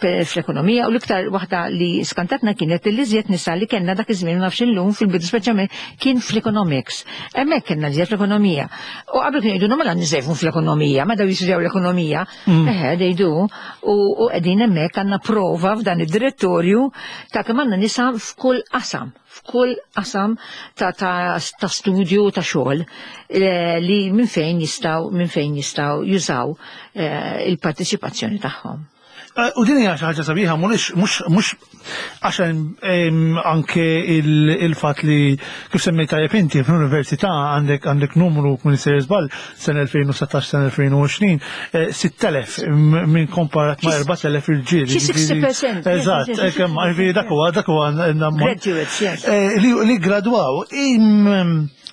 fl-ekonomija, u l-iktar waħda li skantatna kienet li iżjed nisa li kellna dak iż-żmien, nafx illum, fil-bidu speċjalment, kien fl-economics. Hemmhekk kellna iżjed fl-ekonomija. U qabel kienu jgħidu, mela niżejfun fl-ekonomija, ma daw jistudjaw l-ekonomija. Eħe, dejdu, u qegħdin hemmhekk, għandna prova f'dan id-direttorju ta' kemm għandna nisa f'kull qasam f'kull qasam ta', ta, ta studju, ta' xogħol li minn fejn jistgħu minn fejn jistgħu jużaw il-parteċipazzjoni tagħhom. U din hija xi ħaġa sabiħa, mhux mhux għax anke il-fatt li kif semmejt tajjeb inti, fl-università għandek għandek numru, kun sejjer żball, sena elfejn u sittax, sena elfejn u għoxrin, sitt elef minn komparat ma' erbat elef irġiel. Xi sittax fil-mija. Eżatt, kemm dak huwa dak huwa Graduates, yes. Li gradwaw.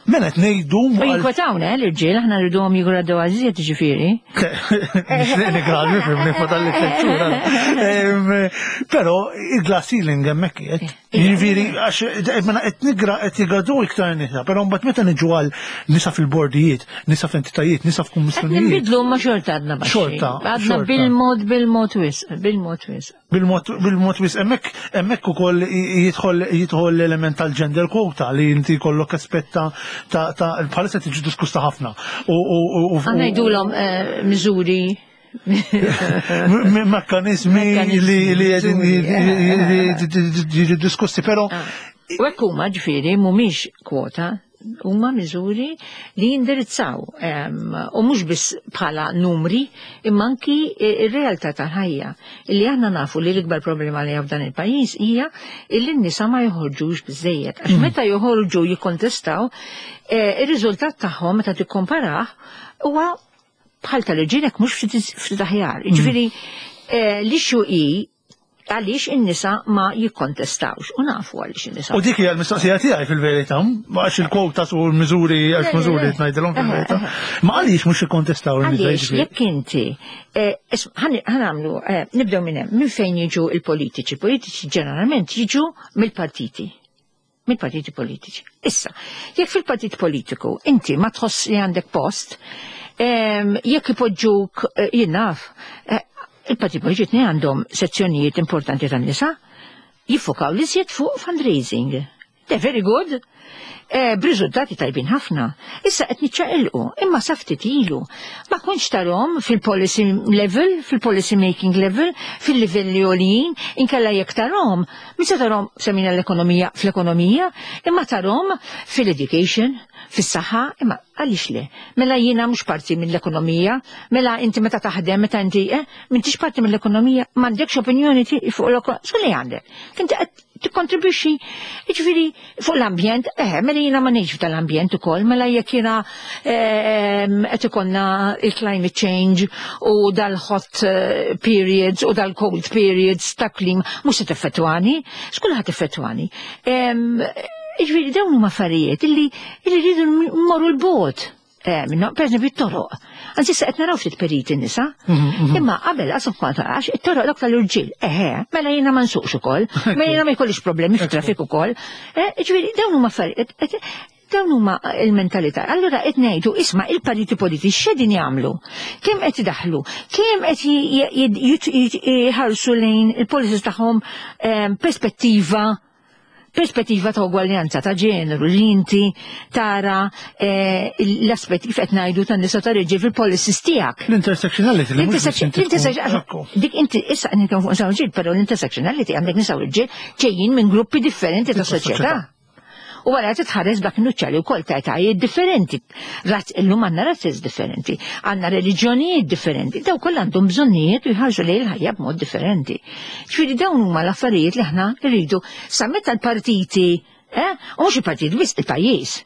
Mela qed ngħidu U jinkwetawna l-irġiel, aħna rriduhom jigradwaw iżjed, ġifieri. Nixtieq nigradwi, fimni, fadalli tliet. Però il-glass ceiling hemmhekk qiegħed. Jiġifieri għax mela qed nigra qed jigradwaw iktar nisa, però mbagħad meta niġu għal nisa fil-bordijiet, nisa f'entitajiet, nisa f'kummissjonijiet. Nbidlu ma xorta għadna baxxi. Xorta. Għadna bil-mod bil-mod wisq, bil-mod wisq. Bil-mod bil-mod wisq, hemmhekk hemmhekk ukoll jidħol jidħol l-element tal-gender quota li inti jkollok aspetta ta' ta' bħalissa tiġi diskussa ħafna. Għandna jgħidulhom miżuri. Mekkanizmi li li jiġu diskussi, però U hekk huma, ġifieri mhumiex kwota, huma miżuri li jindirizzaw u mhux biss bħala numri, imma anki ir-realtà tal-ħajja. Illi aħna nafu li l-ikbar problema li f'dan il-pajjiż hija illi n-nisa ma joħorġux biżejjed. Għax meta joħorġu jikkontestaw, ir-riżultat tagħhom meta tikkomparah huwa bħal tal-irġiel, mhux ftit aħjar. Ġifieri l-issue hi għaliex in-nisa ma jikkontestawx, u nafu għaliex in-nisa. U dik hija l-mistoqsija tiegħi fil-verità, għax il-kwota u l-miżuri, għax miżuri ngħidilhom fil-verità. Ma għaliex mhux jikkontestaw in-nisa? Għaliex jekk inti ħa nagħmlu, nibdew minn hemm, minn fejn jiġu il-politiċi? Politiċi ġeneralment jiġu mill-partiti. Mill-partiti politiċi. Issa, jekk fil-partit politiku inti ma tħoss li għandek post, jekk ipoġġuk, jien naf, il-partit politiċi għandhom sezzjonijiet importanti tan-nisa, jiffokaw li fuq fundraising. They're very good. Eh, b'riżultati tajbin ħafna. Issa qed niċċaqilqu, imma sa ftit ilu. Ma kontx tarahom fil-policy level, fil-policy making level, fil-livelli għoljin, inkella jekk tarahom, min se tarahom semmina l-ekonomija fl-ekonomija, imma tarahom fil-education, fis-saħħa, imma għaliex le? Mela jiena mhux parti mill-ekonomija, mela inti meta taħdem, meta inti, eh, m'intix parti mill-ekonomija, m'għandekx opinjoni fuq l-ekonomija, li għandek? Inti qed tikkontribwixxi, jiġifieri fuq l-ambjent, eh, mela jiena ma ngħix f'dal-ambjent ukoll, mela jekk jiena qed ikollna il-climate change u dal-hot eh, periods u dal-cold periods ta' klim, mhux se teffettwani, x'kull ħadd teffettwani. Jiġifieri dawn huma affarijiet illi illi rridu mmorru l-bogħod. Eh, minnu, per eżempju, it-toroq. Anzi, sa qed naraw ftit periti nisa. Imma qabel qasum kwanta għax it-toroq dak tal-irġiel. Eħe, mela jiena ma nsuqx ukoll, mela jiena ma jkollix problemi fit-traffiku ukoll. Eh, Ġifieri dawn huma affarijiet. Dawn huma il-mentalità. Allura qed ngħidu, isma', il-partiti politiċi x'qegħdin jagħmlu? Kemm qed idaħlu? Kemm qed jħarsu lejn il-policies tagħhom ehm, perspettiva perspettiva ta' ugwaljanza ta' ġeneru, li inti tara eh, l-aspetti kif qed ngħidu tan-nisa, ta' irġiel fil-policies tiegħek. L-intersectionality. L-intersectionality. Dik inti issa qed nitkellmu fuq nisa u rġiel, però l-intersectionality għandek nisa u rġiel ġejjin minn gruppi differenti ta' soċjetà. U għara titħares dak nuċċali u kol ta' etajiet differenti. Illum għandna razzes differenti, għandna reliġjonijiet differenti, daw kollha għandhom bżonnijiet u jħarsu lejn il-ħajja b'mod differenti. Ġifieri dawn huma l-affarijiet li aħna rridu sa meta l-partiti. Eh? U mhux il-partit biss, il-pajjiż.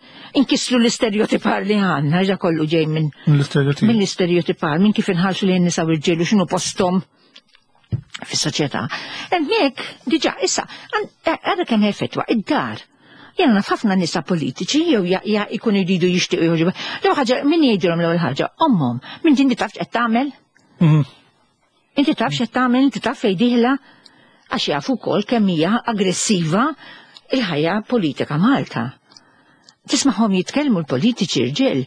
Inkissru l-istereotipar li għandna, ġa kollu ġej minn mill-istereotipar, minn kif inħarsu lejn nisa u rġiel u x'inhu posthom fis-soċjetà. Hemmhekk diġà issa għadha kemm effettwa id-dar. Jena naf ħafna nisa politiċi jew ikunu jridu jixtiequ joħorġu. L-ewwel ħaġa min jgħidilhom l-ewwel ħaġa? Ommhom. Min inti taf x'qed tagħmel? Mhm. Inti taf x'qed tagħmel, inti taf fejn dieħla, għax jafu wkoll kemm hija aggressiva il-ħajja politika Malta. Tismagħhom jitkellmu l-politiċi rġiel,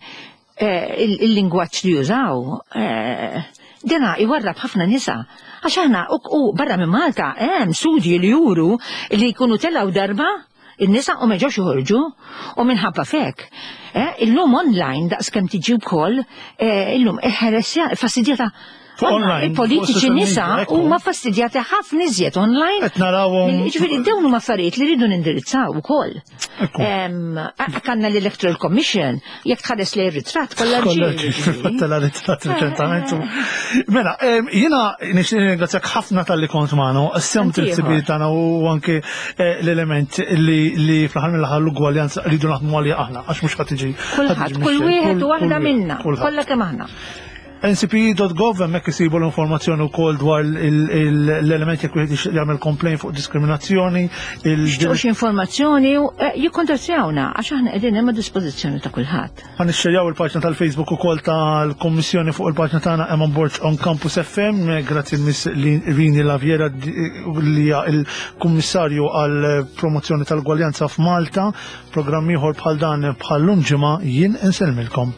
eh, il-lingwaġġ li jużaw, eh, dena iwarrab ħafna nisa. Għax aħna u barra minn Malta hemm studji li juru li jkunu telgħu darba in-nisa u ma ġewx joħorġu u minħabba fek. Eh, illum online daqs kemm tiġi wkoll, eh, illum ħeresja fastidjata. Online, Il-politiċi nisa huma fastidjati ħafna iżjed online. Qed narawhom. Ġifieri dawn huma affarijiet li rridu nindirizzaw ukoll. Għandna l-Electoral Commission, jekk tħares li ritratt kollha rġiel. Tela ritratt reċentament. Mela, jiena nixtieq ringrazzjak ħafna talli kont magħna, semt il-ħsibijiet tagħna u anke eh, l-element li fl-aħħar mill-aħħar l-ugwaljanza rridu naħdmu għaliha aħna, għax mhux ħadd tiġi. Kulħadd, kull wieħed u waħda minna, kollha kemm aħna. N C P E dot gov, hemmhekk isibu l-informazzjoni wkoll dwar l-elementi jekk wieħed jagħmel complaint fuq diskriminazzjoni. Xi informazzjoni, eh, jikkontattjawna għax aħna qegħdin hemm dispożizzjoni ta' kulħadd. Ħa nixxerjaw il-paġna tal-Facebook ukoll tal-Kommissjoni fuq il-paġna tagħna Eman Borg on Campus F M. Grazzi Miss Rini Laviera li hija il-Kummissarju għal promozzjoni tal-Ugwaljanza f'Malta. Programm ieħor bħal dan bħal ġimgħa, jien insellmilkom.